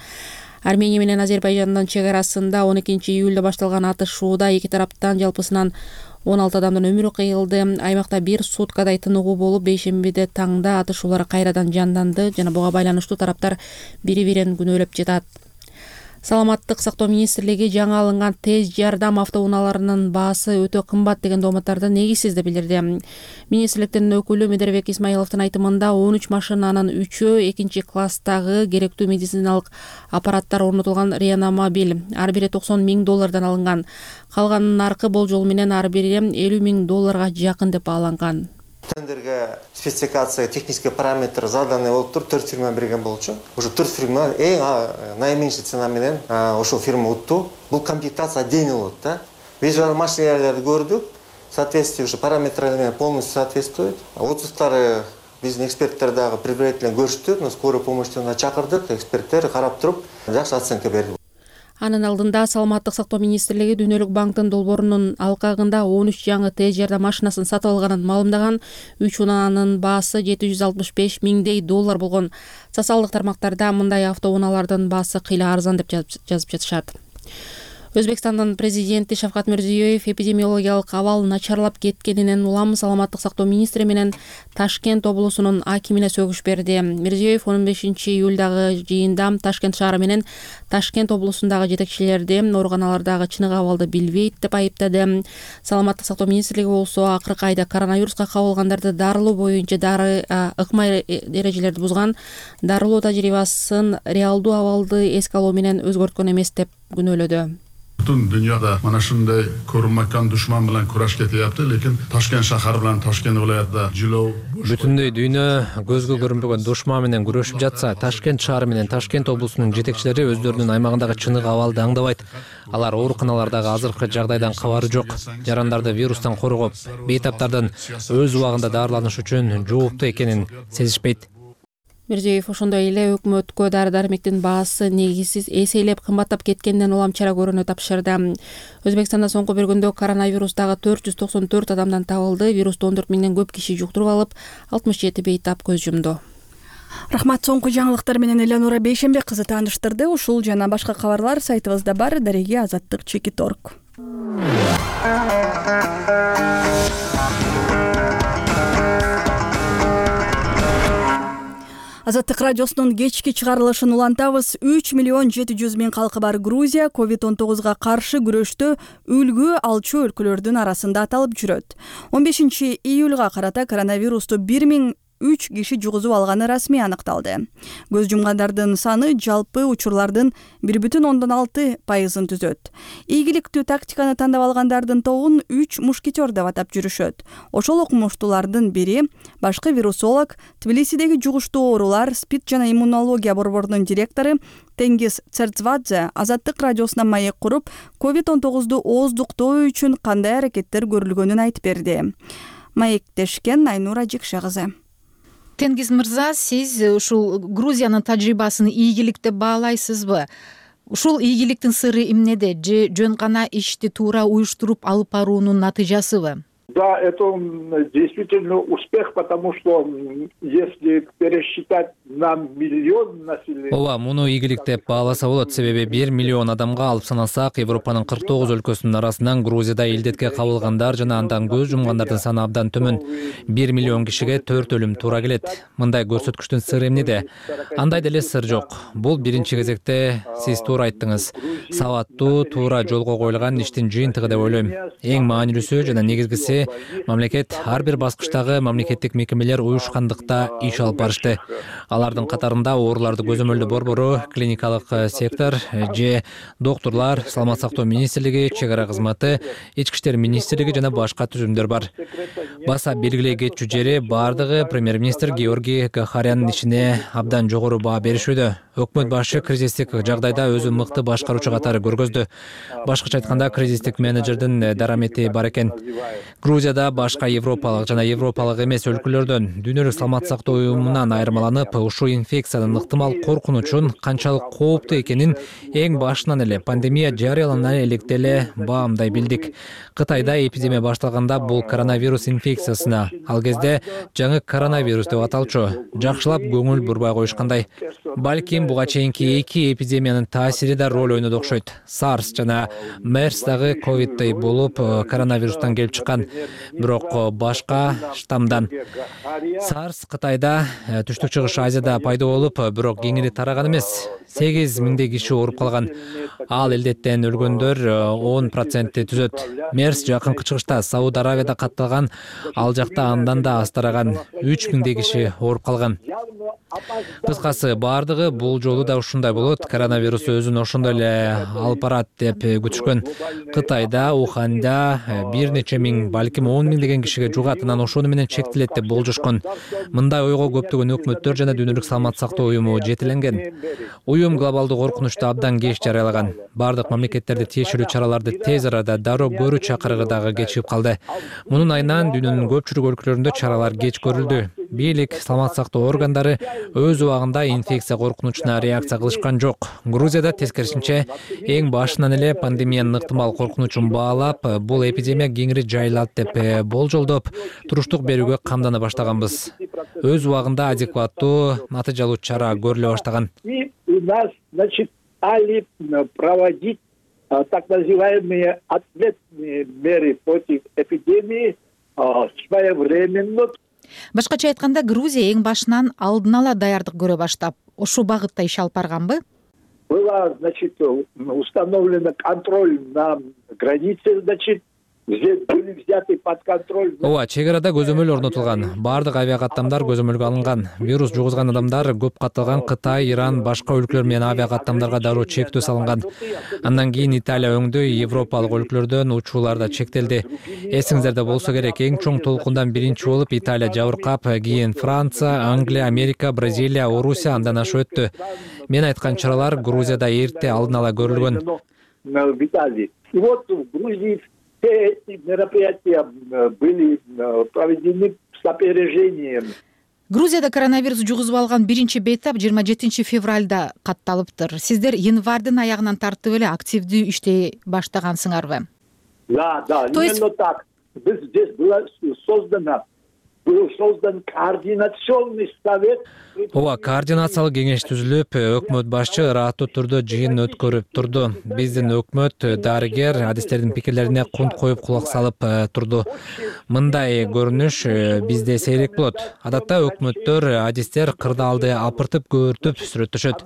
Армения менен Азербайжандын чек арасында 12-июлда башталган атышууда эки тараптан жалпысынан 16 адамдын өмүрү кыйылды. Аймакта бир суткадай тыныгуу болуп, бейшембиде таңда атышуулар кайрадан жанданды жана буга байланыштуу тараптар бири-бирин күнөөлөп жатат. Саламаттык сактоо министрлиги жаңы алынган тез жардам автоунааларынын баасы өтө кымбат деген дооматтарды негизсиз деп билдирди. Министрликтин өкүлү Медербек Исмаиловдун айтымында 13 машинанын 3-өө 2-класстагы керектүү медициналык аппараттар орнотулган реанимобиль. Ар бири $90,000 алынган. Калганынын наркы болжол менен ар бири $50,000 жакын деп бааланган. Тендерге спецификация, технический параметр заданы болуп туруп 4 фирма берген болчу. Уже 4 фирма эң наименьший цена менен ошол фирма утту. Бул комплектация отдельный болот да. Биз машиналарды көрдүк. соответствие уже параметрларына полностью соответствует. Отзывдары биздин эксперттер дагы предварительно көрүштү, скорый помощьтон чакырдык, эксперттер карап туруп жакшы оценка берди. Анын алдында Саламаттык сактоо министрлиги Дүйнөлүк банктын долбоорунун алкагында 13 жаңы тез жардам машинасын сатып алганын маалымдаган. 3 унаанын баасы $765 миңдей болгон. Социалдык тармактарда мындай автоунаалардын баасы кыйла арзан деп жазып жатышат. Өзбекстандын президенти Шавкат Мирзиёев эпидемиологиялык абал начарлап кеткенинен улам Саламаттык сактоо министри менен Ташкент облусунун акимине сөгүш берди. Мирзиёев 15 июлдагы жыйында Ташкент шаары менен Ташкент облусундагы жетекчилерди ооруканалардагы чыныгы абалды билбейт деп айыптады. Саламаттык сактоо министрлиги болсо акыркы айда коронавируска кабылгандарды дарылоо боюнча ыкмай эрежелерди бузган, дарылоо тажрыйбасын реалдуу абалды эске алуу менен өзгөрткөн эмес деп күнөөлөдү. Butun dünyada mana shunday ko'rinmakon dushman bilan kurash ketyapti, lekin Toshkent shahar bilan Toshkent viloyatida jilov Бүтүндөй дүйнө көзгө көрүнбөгөн душман менен күрөшүп жатса, Ташкент шаары менен Ташкент облусунун жетекчилери өздөрүнүн аймагындагы чыныгы абалды аңдабайт. Алар ооруканалардагы азыркы жагдайдан кабары жок. Жарандарды вирустан коргоп, бейтаптардан өз убагында дарыланыш үчүн жооптуу экенин сезишпейт. Мирзиёев ошондой эле өкмөткө дары-дармектин баасы негизсиз эселеп кымбаттап кеткенинен улам чара көрүүнү тапшырды. Өзбекстанда соңку бир күндө коронавирустагы 494 адамдан табылды. Вирусту 14 миңден көп киши жуктуруп алып, 67 бейтап көз жумду. Рахмат, соңку жаңылыктар менен Элеонора Бейшенбек кызы тааныштырды. Ушул жана башка кабарлар сайтыбызда бар. Дареги Азаттык.org. Азаттык радиосунун кечки чыгарылышын улантабыз. 3.700.000 калкы бар Грузия COVID-19 каршы күрөштө үлгү алчу өлкөлөрдүн арасында аталып жүрөт. 15 июлга карата коронавирусту 1003 киши жугузуп алганы расмий аныкталды. Көз жумгандардын саны жалпы учурлардын 1,6%-ын түзөт. Ийгиликтүү тактиканы тандап алгандардын тобун 3 мушкетер деп атап жүрүшөт. Ошол окумуштуулардын бири башкы вирусолог, Тбилисидеги жугуштуу оорулар, СПИД жана иммунология борборунун директору Тенгиз Церцвадзе Азаттык радиосуна маек куруп, COVID-19 ооздуктоо үчүн кандай аракеттер көрүлгөнүн айтып берди. Маектешкен Айнура Жикше кызы. Тенгиз мырза, сиз ушул Грузиянын тажрыйбасын ийгилик деп баалайсызбы? Ушул ийгиликтин сыры эмнеде? Же жөн гана ишти туура уюштуруп алып баруунун натыйжасыбы? Да, это действительно успех, потому что если пересчитать на миллион населения... Ооба, муну ийгилик деп бааласа болот. Себеби 1 миллион адамга алып санасак, Европанын 49 өлкөсүнүн арасынан Грузияда илдетке кабылгандар жана андан көз жумгандардын саны абдан төмөн. 1 миллион кишиге 4 өлүм туура келет. Мындай көрсөткүчтүн сыры эмнеде? Андай деле сыр жок. Бул биринчи кезекте сиз туура айттыңыз. Сабаттуу, туура жолго коюлган иштин жыйынтыгы деп ойлойм. Эң маанилүүсү жана негизгиси мамлекет ар бир баскычтагы мамлекеттик мекемелер уюшкандыкта иш алып барышты. Алардын катарында ооруларды көзөмөлдөө борбору, клиникалык сектор, же доктурлар, Саламат сактоо министрлиги, чек ара кызматы, ички иштер министрлиги жана башка түзүмдөр бар. Баса белгилей кетчү жери бардыгы премьер-министр Георгий Гахаряндын ишине абдан жогору баа беришүүдө. Өкмөт башы кризистик жагдайда өзү мыкты башкаруучу катары көргөздү. Башкача айтканда, кризистик менеджердин дарамети бар экен. Грузияда башка европалык жана европалык эмес өлкөлөрдөн Дүйнөлүк саламаттык сактоо уюмунан айырмаланып, ушул инфекциянын ыктымал коркунучун канчалык кооптуу экенин эң башынан эле пандемия жарыялана электе эле баамдай билдик. Кытайда эпидемия башталганда бул коронавирус инфекциясына, ал кезде жаңы коронавирус деп аталчу, жакшылап көңүл бурбай коюшкандай. Балким буга чейинки эки эпидемиянын таасири да роль ойноду окшойт. SARS жана MERS дагы ковиддей болуп коронавирустан келип чыккан, бирок башка штаммдан. SARS Кытайда, Түштүк Чыгыш Азияда пайда болуп, бирок кеңири тараган эмес. 8 миңдей киши ооруп калган. Ал илдеттен өлгөндөр 10% түзөт. MERS жакынкы чыгышта Сауд Аравияда катталган, ал жакта андан да аз тараган. 3 миңдей киши ооруп калган. Кыскасы, баардык бардыгы бул жолу да ушундай болот, коронавирус өзүн ошондой эле алып барат деп күтүшкөн. Кытайда, Уханда бир нече миң, балким 10 миңдеген кишиге жугат, анан ошону менен чектелет деп болжошкон. Мындай ойго көптөгөн өкмөттөр жана Дүйнөлүк саламаттык сактоо уюму жетеленген. Уюм глобалдуу коркунучту абдан кеч жарыялаган. Бардык мамлекеттерди тиешелүү чараларды тез арада дароо көрүү чакырыгы дагы кечигип калды. Мунун айынан дүйнөнүн көпчүлүк өлкөлөрүндө чаралар кеч көрүлдү. Бийлик, саламаттык сактоо органдары өз убагында инфекция коркунучуна реакция кылышкан жок. Грузияда тескерисинче эң башынан эле пандемиянын ыктымал коркунучун баалап, бул эпидемия кеңири жайылат деп болжолдоп, туруштук берүүгө камдана баштаганбыз. Өз убагында адекваттуу, натыйжалуу чара көрүлө баштаган. И у нас, значит, стали проводить так называемые ответные меры против эпидемии своевременно. Башкача айтканда, Грузия эң башынан алдын ала даярдык көрө баштап, ошол багытта иш алып барганбы? Была, значит, установлена контроль на границе, значит, были взяты под контроль. Ооба, чек арада көзөмөл орнотулган. Бардык авиа каттамдар көзөмөлгө алынган. Вирус жугузган адамдар көп катталган Кытай, Иран, башка өлкөлөр менен авиа каттамдарга дароо чектөө салынган. Андан кийин Италия өңдүү Европалык өлкөлөрдөн учуулар да чектелди. Эсиңиздерде болсо керек, эң чоң толкундан биринчи болуп Италия жабыркап, кийин Франция, Англия, Америка, Бразилия, Орусия андан ашып өттү. Мен айткан чаралар Грузияда эрте алдын ала көрүлгөн. И вот в Грузии все эти мероприятия были проведены с опережением. Грузияда коронавирус жугузуп алган биринчи бейтап 27 февралда катталыптыр. Сиздер январдын аягынан тартып эле активдүү иштей баштагансыңарбы? Да, именно так. Здесь был создан координационный совет. Ооба, координациялык кеңеш түзүлүп, өкмөт башчы ыраттуу түрдө жыйын өткөрүп турду. Биздин өкмөт дарыгер адистердин пикирлерине кунт коюп кулак салып турду. Мындай көрүнүш бизде сейрек болот. Адатта өкмөттөр адистер кырдаалды апыртып көөртүп сүрөттөшөт.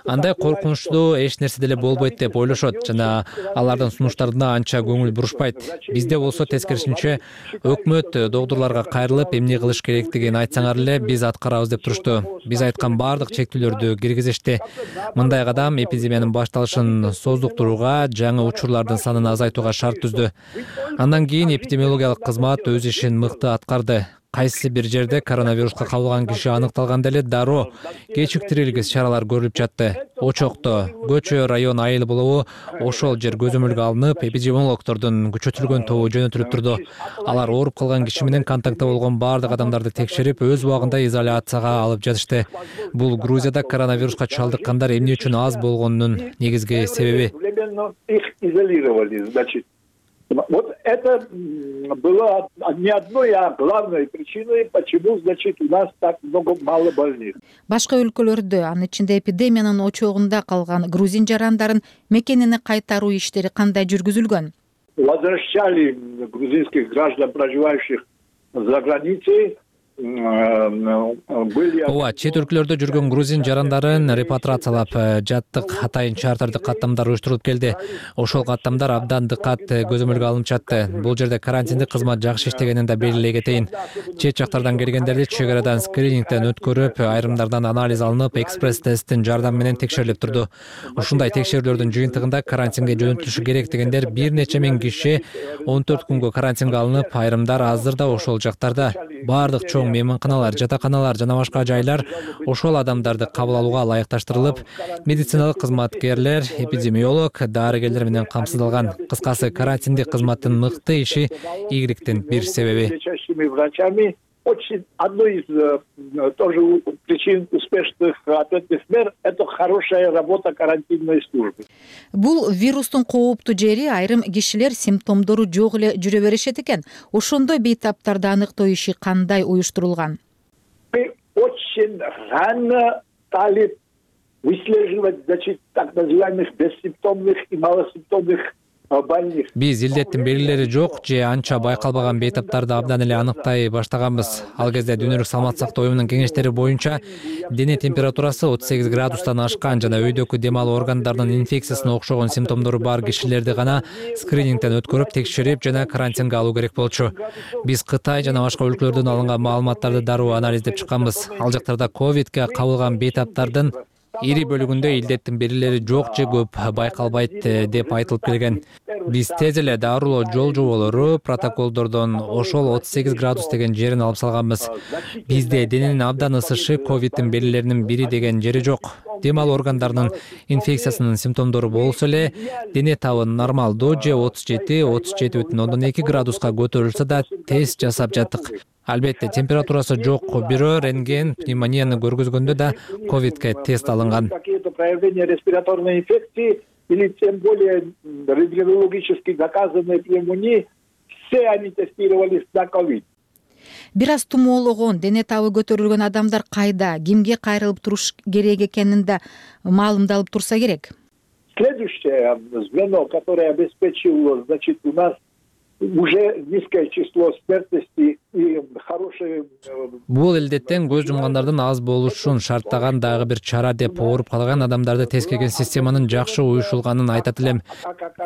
Андай коркунучтуу эч нерсе деле болбойт деп ойлошот жана алардын сунуштарына анча көңүл бурушпайт. Бизде болсо тескерисинче өкмөт догдурларга кайрылып эмне кылыш керектигин айтсаңар эле биз аткарабыз деп турушту. Биз айткан бардык чектүүлөрдү киргизишти. Мындай кадам эпидемиянын башталышын создуктурууга, жаңы учурлардын санын азайтууга шарт түздү. Андан кийин эпидемиологиялык кызмат өз ишин мыкты аткарды. Кайсы бир жерде коронавируска кабылган киши аныкталганда эле дароо кечиктирилгис чаралар көрүлүп жатты. Очокто, көчө, район айыл болобу ошол жер көзөмөлгө алынып, эпидемиологдордун күчөтүлгөн тобу жөнөтүлүп турду. Алар ооруп калган киши менен контактта болгон бардык адамдарды текшерип, өз убагында изоляцияга алып жатышты. Бул Грузияда коронавируска чалдыккандар эмне үчүн аз болгонунун негизги себеби. Их изолировали, значит. Вот это было не одной, а главной причиной, почему, значит, у нас так мало больных. Башка өлкөлөрдө, анын ичинде эпидемиянын очогунда калган грузин жарандарын мекенине кайтаруу иштери кандай жүргүзүлгөн? Возвращали грузинских граждан, проживающих за границей. Ооба, чет өлкөлөрдө жүргөн грузин жарандарын репатриациялап жаттык, атайын чартардык каттамдар уюштурулуп келди. Ошол каттамдар абдан дыкат көзөмөлгө алынып жатты. Бул жерде карантиндик кызмат жакшы иштегенин да белгилей кетейин. Чет жактардан келгендерди чек арадан скринингден өткөрүп, айрымдардан анализ алынып, экспресс-тесттин жардамы менен текшерилип турду. Ушундай текшерүүлөрдүн жыйынтыгында карантинге жөнөтүлүшү керек дегендер бир нече миң киши 14 күнгө карантинге алынып, айрымдар азыр да ошол жактарда. Бардык чоң мейманканалар, жатаканалар жана башка жайлар ошол адамдарды кабыл алууга ылайыкташтырылып, медициналык кызматкерлер, эпидемиолог, дарыгерлер менен камсыздалган. Кыскасы, карантиндик кызматтын мыкты иши ийгиликтин бир себеби. Очень одной из тоже причин успешных ответных мер – это хорошая работа карантинной службы. Бул вирустун кооптуу жери айрым кишилер симптомдору жок эле жүрө беришет экен. Ошондой бейтаптарды аныктоо иши кандай уюштурулган? Мы очень рано стали выслеживать, значит, так называемых бессимптомных и малосимптомных больных. Биз илдеттин белгилери жок же анча байкалбаган бейтаптарды абдан эле аныктай баштаганбыз. Ал кезде Дүйнөлүк саламаттык сактоо уюмунун кеңештери боюнча дене температурасы 38 градустан ашкан жана өйдөкү дем алуу органдарынын инфекциясына окшогон симптомдору бар кишилерди гана скринингден өткөрүп, текшерип жана карантинге алуу керек болчу. Биз Кытай жана башка өлкөлөрдөн алынган маалыматтарды дароо анализдеп чыкканбыз. Ал жактарда ковидке кабылган бейтаптардын ири бөлүгүндө илдеттин белгилери жок же көп байкалбайт деп айтылып келген. Биз тез эле дарылоо жол жоболору, протоколдордон ошол 38 градус деген жерин алып салганбыз. Бизде дененин абдан ысышы ковидтин белгилеринин бири деген жери жок. Дем алуу органдарынын инфекциясынын симптомдору болсо эле дене табы нормалдуу же 37,2 градуска көтөрүлсө да тест жасап жаттык. Албетте температурасы жок бирөө рентген пневмонияны көргөзгөндө да ковидке тест алынган. Проявление респираторной инфекции или тем более рентгенологически доказанной пневмонии, все они тестировались на ковид. Бир аз тумоологон, дене табы көтөрүлгөн адамдар кайда, кимге кайрылып туруш керек экенин да маалымдалып турса керек. Следующее звено, которое обеспечило, значит, у нас уже низкое число смертности и хорошие... Бул илдеттен көз жумгандардын аз болушун шарттаган дагы бир чара деп ооруп калган адамдарды тескерген системанын жакшы уюшулганын айтат элем.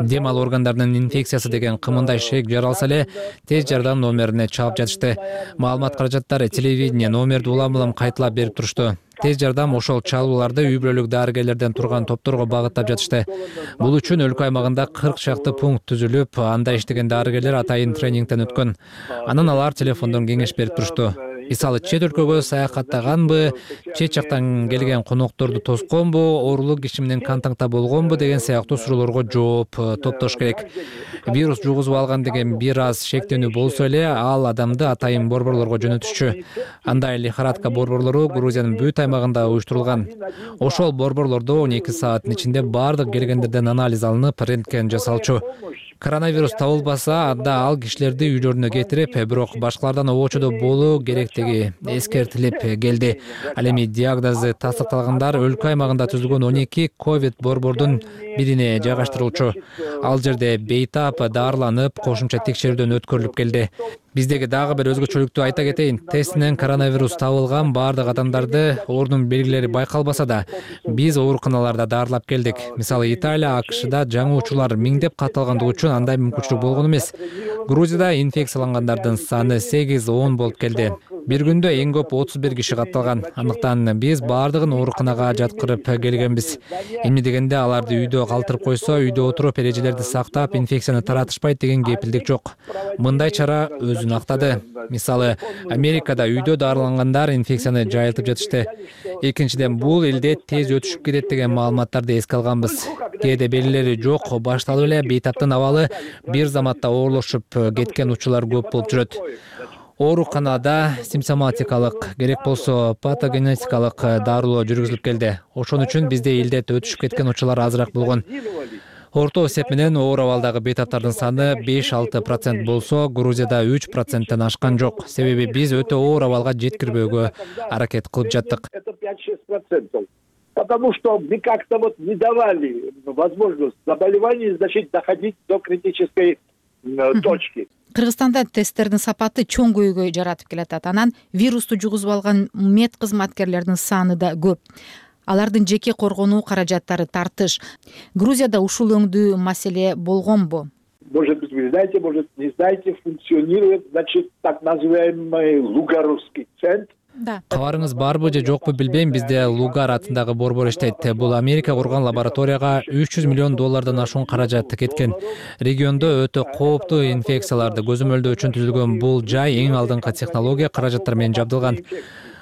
Дем алуу органдарынын инфекциясы деген кымындай шек жаралса эле тез жардам номерине чалып жатышты. Маалымат каражаттары телевидение номерди улам-улам кайталап берип турушту. Тез жардам ошол чалууларды үй бүлөлүк дарыгерлерден турган топторго багыттап жатышты. Бул үчүн өлкө аймагында 40 шакты пункт түзүлүп, анда иштеген дарыгерлер атайын тренингден өткөн. Анан алар телефондон кеңеш берип турушту. Мисалы, чет өлкөгө саякаттаганбы, чет жактан келген конокторду тосконбу, оорулук киши менен контактта болгонбу деген сыяктуу суроолорго жооп топтош керек. Вирус жугузуп алган деген бир аз шектенүү болсо эле, ал адамды атайын борборлорго жөнөтүшчү. Андай лихорадка борборлору Грузиянын бүт аймагында уюштурулган. Ошол борборлордо 12 сааттын ичинде бардык келгендерден анализ алынып, рентген жасалчу. Коронавирус табылбаса, анда ал кишилерди үйлөрүнө кетирип, бирок башкалардан обочодо болуу керектиги эскертилип келди. Ал эми диагнозу тастыкталгандар өлкө аймагында түзүлгөн 12 ковид борбордун бирине жайгаштырылчу. Ал жерде бейтап дарыланып, кошумча текшерүүдөн өткөрүлүп келди. Биздеги дагы бир өзгөчөлүктү айта кетейин. Тестинен коронавирус табылган бардык адамдарды оорунун белгилери байкалбаса да, биз ооруканаларда дарылап келдик. Мисалы, Италия, АКШда жаңы учурлар миңдеп катталгандыгы үчүн андай мүмкүнчүлүк болгон эмес. Грузияда инфекциялангандардын саны 8-10 болуп келди. Бир күндө эң көп 31 киши катталган. Андыктан биз бардыгын ооруканага жаткырып келгенбиз. Эмне дегенде аларды үйдө калтырып койсо, үйдө отуруп эрежелерди сактап, инфекцияны таратышпайт деген кепилдик жок. Мындай чара өзүн актады. Мисалы, Америкада үйдө дарылангандар инфекцияны жайылтып жатышты. Экинчиден, бул элде тез өтүшүп кетет деген маалыматтарды эске алганбыз. Кээде белгилери жок, башталып эле бейтаптын абалы бир заматта оорлошуп кеткен учурлар көп болуп жүрөт. Ооруканада симптоматикалык, керек болсо патогенетикалык дарылоо жүргүзүлүп келди. Ошон үчүн бизде илдет өтүшүп кеткен учурлар азыраак болгон. Орто эсеп менен оор абалдагы бейтаптардын саны 5-6% болсо, Грузияда 3%тен ашкан жок. Себеби биз өтө оор абалга жеткирбөөгө аракет кылып жаттык. Это 5-6%. Потому что мы как-то вот не давали возможность заболеванию, значит, доходить до критической точки. Кыргызстанда тесттердин сапаты чоң көйгөй жаратып келатат. Анан вирусту жугузуп алган мед кызматкерлеринин саны да көп. Алардын жеке коргонуу каражаттары тартыш. Грузияда ушул өңдүү маселе болгонбу? Может быть, вы знаете, может, не знаете, функционирует, значит, так называемый Лугаровский центр. Кабарыңыз барбы же жокпу билбейм, бизде Лугар атындагы борбор иштейт. Бул Америка курган лабораторияга $300 миллион ашуун каражат кеткен. Региондо өтө кооптуу инфекцияларды көзөмөлдөө үчүн түзүлгөн бул жай эң алдыңкы технология каражаттар менен жабдылган.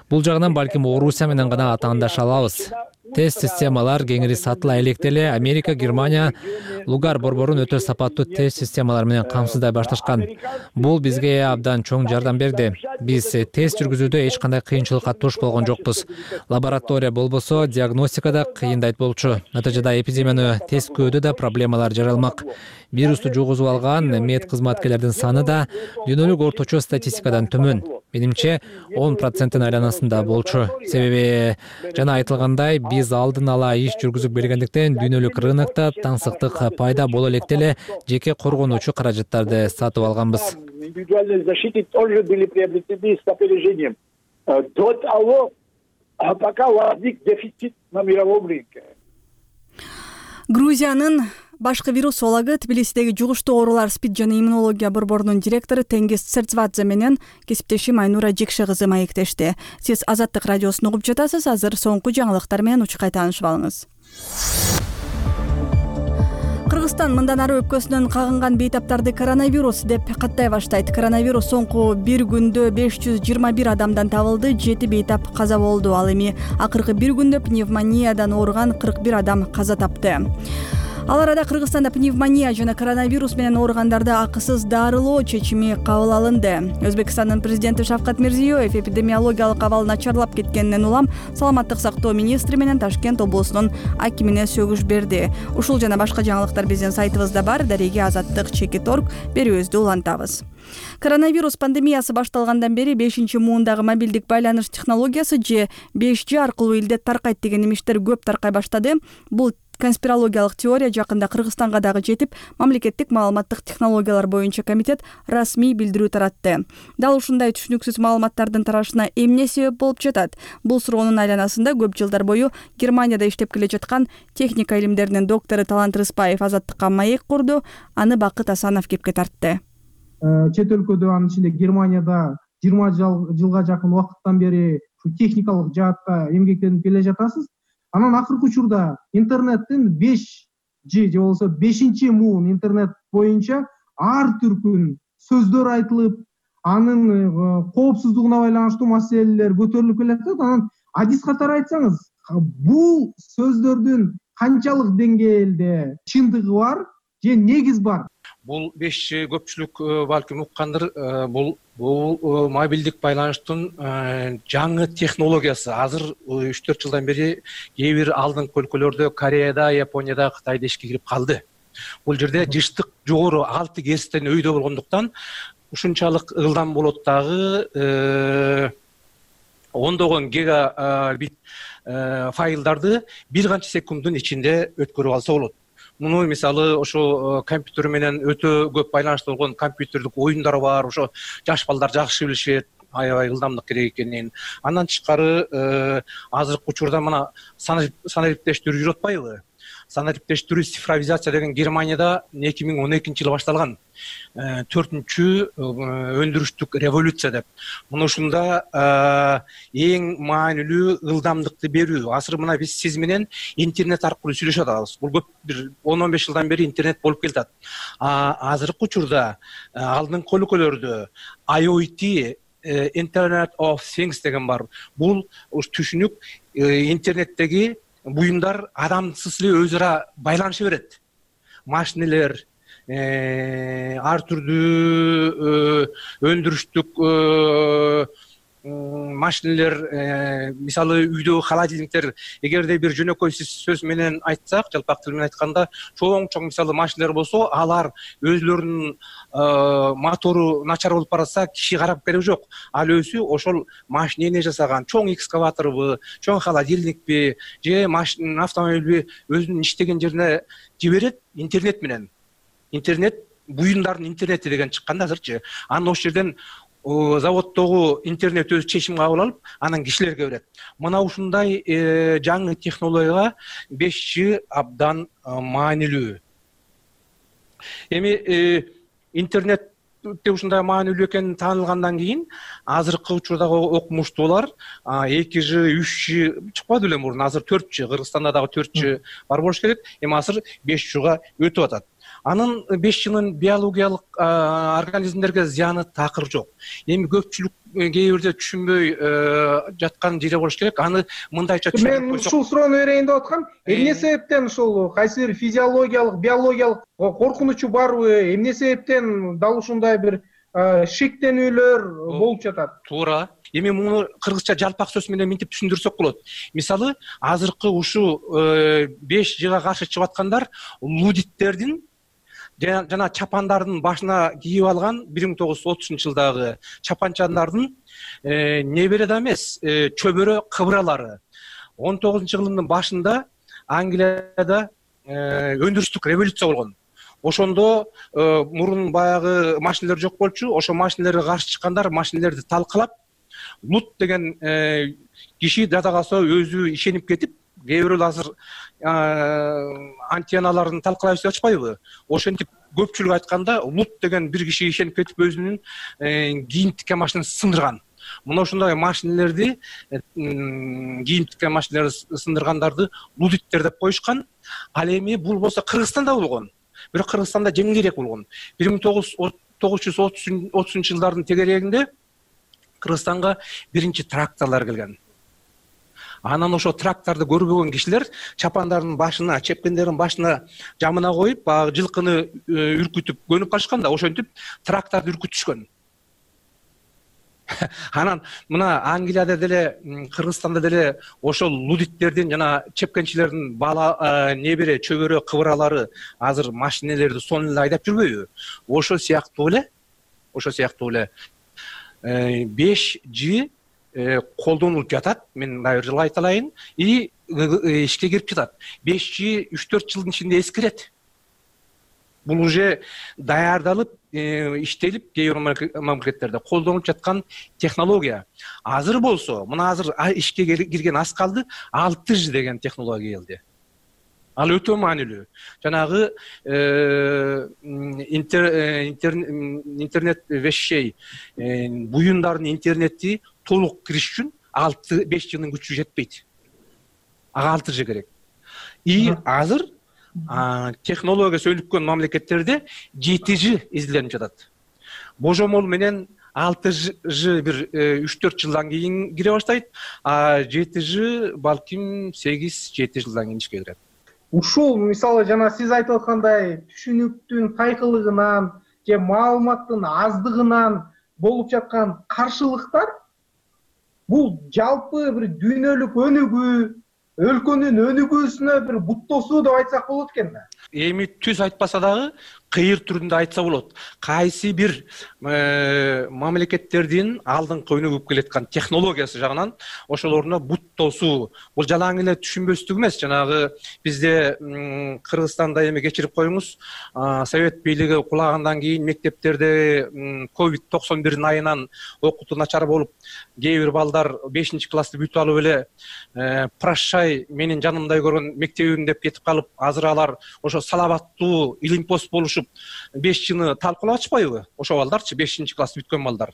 Бул жагынан балким Орусия менен гана атаандаша алабыз. Тест системалар кеңири сатыла электе эле Америка, Германия Лугар борборун өтө сапаттуу тест системалар менен камсыздай башташкан. Бул бизге абдан чоң жардам берди. Биз тест жүргүзүүдө эч кандай кыйынчылыкка туш болгон жокпуз. Лаборатория болбосо диагностикада кыйындайт болчу. Натыйжада эпидемияны тескөөдө да проблемалар жаралмак. Вирусту жугузуп алган мед кызматкерлердин саны да дүйнөлүк орточо статистикадан төмөн. Менимче 10%-тин айланасында болчу. Себеби жана айтылгандай, биз алдын ала иш жүргүзүп келгендиктен дүйнөлүк рынокто таңсыктык пайда боло электе эле жеке коргонуучу каражаттарды сатып алганбыз. Индивидуальной защиты тоже были приобретены с опережением. До того, пока возник дефицит на мировом рынке. Грузиянын башкы вирусологу, Тбилисидеги жугуштуу оорулар СПИД жана иммунология борборунун директору Тенгиз Церцвадзе менен кесиптешим Айнура Жекше кызы маектешти. Сиз Азаттык радиосун угуп жатасыз. Азыр соңку жаңылыктар менен учкай таанышып алыңыз. Кыргызстан мындан ары өпкөсүнөн кагынган бейтаптарды коронавирус деп каттай баштайт. Коронавирус соңку бир күндө 521 адамдан табылды, 7 бейтап каза болду. Ал эми акыркы бир күндө пневмониядан ооруган 41 адам каза тапты. Ал арада Кыргызстанда пневмония жана коронавирус менен ооругандарды акысыз дарылоо чечими кабыл алынды. Өзбекстандын президенти Шавкат Мирзиёев эпидемиологиялык абал начарлап кеткенинен улам саламаттык сактоо министри менен Ташкент облусунун акимине сөгүш берди. Ушул жана башка жаңылыктар биздин сайтыбызда бар. Дареги Азаттык.org берүүбүздү улантабыз. Коронавирус пандемиясы башталгандан бери 5-муундагы мобилдик байланыш технологиясы же 5G аркылуу илдет таркайт деген имиштер көп таркай баштады. Бул конспирологиялык теория жакында Кыргызстанга дагы жетип, мамлекеттик маалыматтык технологиялар боюнча комитет расмий билдирүү таратты. Дал ушундай түшүнүксүз маалыматтардын тарашына эмне себеп болуп жатат? Бул суроонун айланасында көп жылдар бою Германияда иштеп келе жаткан техника илимдеринин доктору Талант Рыспаев Азаттыкка маек курду. Аны Бакыт Асанов кепке тартты. Чет өлкөдө, анын ичинде Германияда 20 жылга жакын убакыттан бери техникалык жаатта эмгектенип келе жатасыз. Анан акыркы учурда интернеттин 5G же болбосо 5-муун интернет боюнча ар түркүн сөздөр айтылып, анын коопсуздугуна байланыштуу маселелер көтөрүлүп келатат. Анан адис катары айтсаңыз, бул сөздөрдүн канчалык деңгээлде чындыгы бар же негиз бар? Бул 5G көпчүлүк балким уккандыр. Бул мобилдик байланыштын жаңы технологиясы. Азыр 3-4 жылдан бери кээ бир алдыңкы өлкөлөрдө, Кореяда, Японияда, Кытайда ишке кирип калды. Бул жерде жыштык жогору 6 Гz өйдө болгондуктан ушунчалык ылдам болот дагы ондогон гигабит файлдарды бир канча секунддун ичинде өткөрүп алса болот. Муну мисалы ошо компьютер менен өтө көп байланыштуу болгон компьютердик оюндар бар. Ошо жаш балдар жакшы билишет, аябай ылдамдык керек экенин. Андан тышкары азыркы учурда мына санариптештирүү жүрүп атпайбы? Санариптештирүү, цифровизация деген Германияда 2012 жылы башталган 4-чү өндүрүштүк революция деп. Муну ушунда эң маанилүү ылдамдыкты берүү. Азыр мына биз сиз менен интернет аркылуу сүйлөшүп атабыз. Бул көп бир 10-15 жылдан бери интернет болуп келатат. Азыркы учурда алдыңкы өлкөлөрдө IoT, Internet of Things деген бар. Бул түшүнүк интернеттеги буюмдар адамсыз эле өз ара байланыша берет. Машинелер, ар түрдүү өндүрүштүк машинелер, мисалы үйдөгү холодильниктер, эгерде бир жөнөкөй сөз менен айтсак, жалпак тил менен айтканда, чоң мисалы машинелер болсо, алар өзлөрүнүн мотору начар болуп баратса, киши карап кереги жок. Ал өзү ошол машина эмне жасаган, чоң экскаваторбу, чоң холодильникпи, же машина, автомобилби өзүнүн иштеген жерине жиберет интернет менен. Интернет буюмдардын интернети деген чыкканда азырчы. Анан ошол жерден заводдогу интернет өзү чечим кабыл алып, анан кишилерге берет. Мына ушундай жаңы технологияга 5G абдан маанилүү. Эми интернетте ушундай маанилүү экени таанылгандан кийин азыркы учурдагы окумуштуулар 2G, 3G чыкпады беле мурун, азыр 4G, Кыргызстанда дагы 4G бар болуш керек. Эми азыр 5G'га өтүп атат. Анын 5G'нын биологиялык организмдерге зыяны такыр жок. Эми көпчүлүк кээ бирде түшүнбөй жаткан жери болуш керек. Аны мындайча түшүнүп мен ушул суроону берейин деп аткам. Эмне себептен ушул кайсы бир физиологиялык, биологиялык коркунучу барбы? Эмне себептен дал ушундай бир шектенүүлөр болуп жатат? Туура. Эми муну кыргызча жалпак сөз менен мынтип түшүндүрсөк болот. Мисалы, азыркы ушу 5G'га каршы чыгып аткандар лудиттердин жана чапандардын башына кийип алган 1930-жылдагы чапанчандардын небере да эмес, чөбөрө кыбыралары. 19-жылдын башында Англияда өндүрүштүк революция болгон. Ошондо мурун баягы машинелер жок болчу. Ошо машинелерге каршы чыккандар машинелерди талкалап, Лут деген киши дата калса өзү ишенип кетип, кээ бирөө азыр антенналарын талкалайбыз деп атышпайбы? Ошентип көпчүлүк айтканда Лут деген бир киши ишенип кетип өзүнүн кийим тиккен машинасын сындырган. Мына ошондой машинелерди, кийим тиккен машинелерди сындыргандарды лудиттер деп коюшкан. Ал эми бул болсо Кыргызстанда болгон. Бирок Кыргызстанда жеңилирээк болгон. 1930-жылдардын тегерегинде Кыргызстанга биринчи тракторлор келген. Анан ошо тракторду көрбөгөн кишилер чапандардын башына, чепкендердин башына жамына коюп, баягы жылкыны үркүтүп көнүп калышканда, ошентип тракторду үркүтүшкөн. Анан мына Англияда деле, Кыргызстанда деле ошол лудиттердин жана чепкенчилердин бала небере чөбөрө кыбыралары азыр машинелерди сонун эле айдап жүрбөйбү? Ошол сыяктуу эле 5G колдонулуп жатат. Мен дагы бир жолу айта алайын. И ишке кирип жатат. 5G 3-4 жылдын ичинде эскирет. Бул уже даярдалып, иштелип, кээ бир мамлекеттерде колдонулуп жаткан технология. Азыр болсо, мына азыр ишке кирген аз калды, 6G деген технология келди. Ал өтө маанилүү. Жанагы интернет вещей, буюмдардын интернети толук кириш үчүн 5G'нын күчү жетпейт. Ага 6G керек. И азыр технологиясы өнүккөн мамлекеттерде 7G изиленип жатат. Божомол менен 6G бир 3-4 жылдан кийин кире баштайт, а 7G балким 8-7 жылдан кийин ишке кирет. Ушул мисалы жана сиз айтып аткандай түшүнүктүн тайкылыгынан же маалыматтын аздыгынан болуп жаткан каршылыктар бул жалпы бир дүйнөлүк өнүгүү, өлкөнүн өнүгүүсүнө бир буттосуу деп айтсак болот экен да. Эми түз айтпаса дагы кыйыр түрүндө айтса болот. Кайсы бир мамлекеттердин алдыңкы өнүгүп келаткан технологиясы жагынан ошолоруна бут тосуу. Бул жалаң эле түшүнбөстүк эмес. Жанагы бизде Кыргызстанда эми кечирип коюңуз, Совет бийлиги кулагандан кийин мектептерде COVID-91 айынан окутуу начар болуп, кээ бир балдар 5-классты бүтүп алып эле прощай менин жанымдай көргөн мектебим деп кетип калып, азыр алар ошо салабаттуу илимпост болушуп 5G'ны талкуулап атышпайбы? Ошо балдарчы 5-класс бүткөн балдар.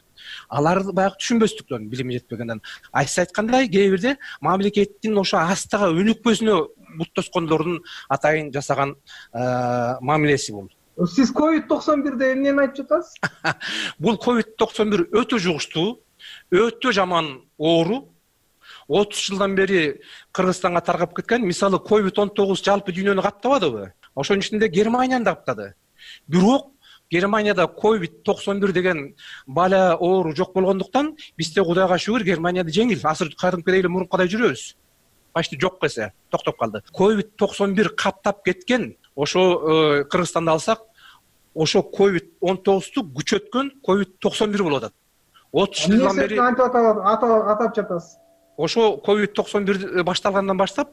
Алар баягы түшүнбөстүктөн, билими жетпегенден. Сиз айткандай, кээ бирде мамлекеттин ошо астыга өнүкпөсүнө бут тоскондордун атайын жасаган мамилеси бул. Сиз COVID-91де эмнени айтып жатасыз? Бул COVID-91 өтө жугуштуу, өтө жаман оору. 30 жылдан бери Кыргызстанга таргап кеткен. Мисалы COVID-19 жалпы дүйнөнү каптабадыбы? Ошонун ичинде Германияны да каптады. Бирок Германияда COVID-91 деген бала оору жок болгондуктан бизде Кудайга шүгүр Германияда жеңил. Азыр кадимкидей эле мурункадай жүрөбүз. Почти жок эсе, токтоп калды. COVID-91 каптап кеткен. Ошо Кыргызстанды алсак, ошо COVID-19ту күчөткөн COVID-91 болуп атат. 30 жылдан бери атап жатасыз. Ошо COVID-91 башталгандан баштап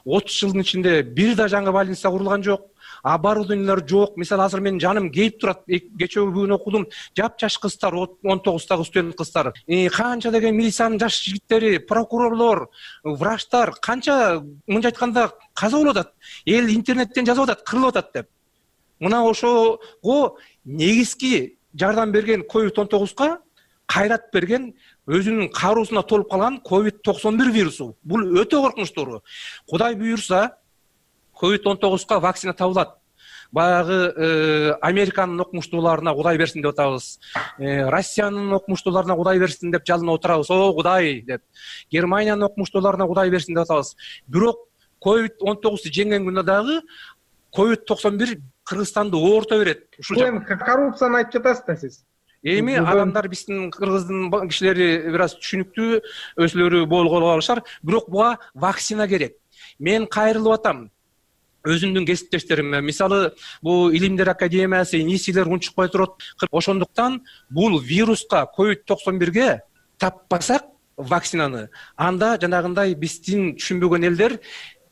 30 жылдын ичинде бир да жаңы больница курулган жок, оборудованиялар жок. Мисалы азыр менин жаным кейип турат. Кечээ бүгүн окудум, жапжаш кыздар, 19-дагы студент кыздар. Канча деген милициянын жаш жигиттери, прокурорлор, врачтар канча мынча айтканда каза болуп атат. Эл интернеттен жазып атат, кырылып атат деп. Мына ошого негизги жардам берген COVID-19га кайрат берген, өзүнүн кароосуна толуп калган COVID-91 вирусу. Бул өтө коркунучтуу. Кудай буйрса, COVID-19га вакцина табылат. Баягы Американын окумуштууларына Кудай берсин деп атабыз. Россиянын окумуштууларына Кудай берсин деп жалынып отурабыз. О, Кудай деп. Германиянын окумуштууларына Кудай берсин деп атабыз. Бирок COVID-19 жеңген күндө дагы COVID-91 Кыргызстанды оорто берет. Ушул эми коррупцияны айтып жатасыз да сиз. Эми адамдар биздин кыргыздын кишилери бир аз түшүнүктүү, өзүлөрү болгола алышар. Бирок буга вакцина керек. Мен кайрылып атам өзүмдүн кесиптештериме. Мисалы, бул Илимдер академиясы, НИСИлер унчукпай турат. Ошондуктан бул вируска, COVID-91ге таппасак вакцинаны, анда жанагындай биздин түшүнбөгөн элдер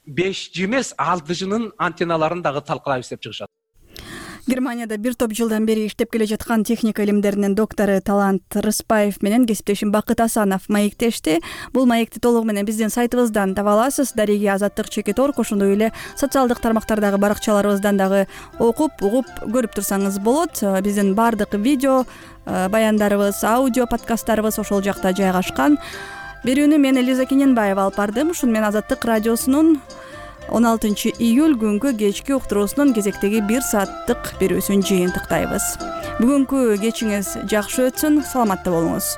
5G эмес, 6G'нын антенналарын дагы талкалайбыз деп чыгышат. Германияда бир топ жылдан бери иштеп келе жаткан техника илимдеринин доктору Талант Рыспаев менен кесиптешим Бакыт Асанов маектешти. Бул маекти толугу менен биздин сайтыбыздан таба аласыз. Дареги Азаттык _org, ошондой эле социалдык тармактардагы баракчаларыбыздан дагы окуп, угуп көрүп турсаңыз болот. Биздин баардык видео баяндарыбыз, аудио подкасттарыбыз ошол жакта жайгашкан. Берүүнү мен Элиза Кененбаева алып бардым. Ушуну менен Азаттык радиосунун 16 июль күнгү кечки уктуруусунун кезектеги 1 сааттык берүүсүн жыйынтыктайбыз. Бүгүнкү кечиңиз жакшы өтсүн, саламатта болуңуз.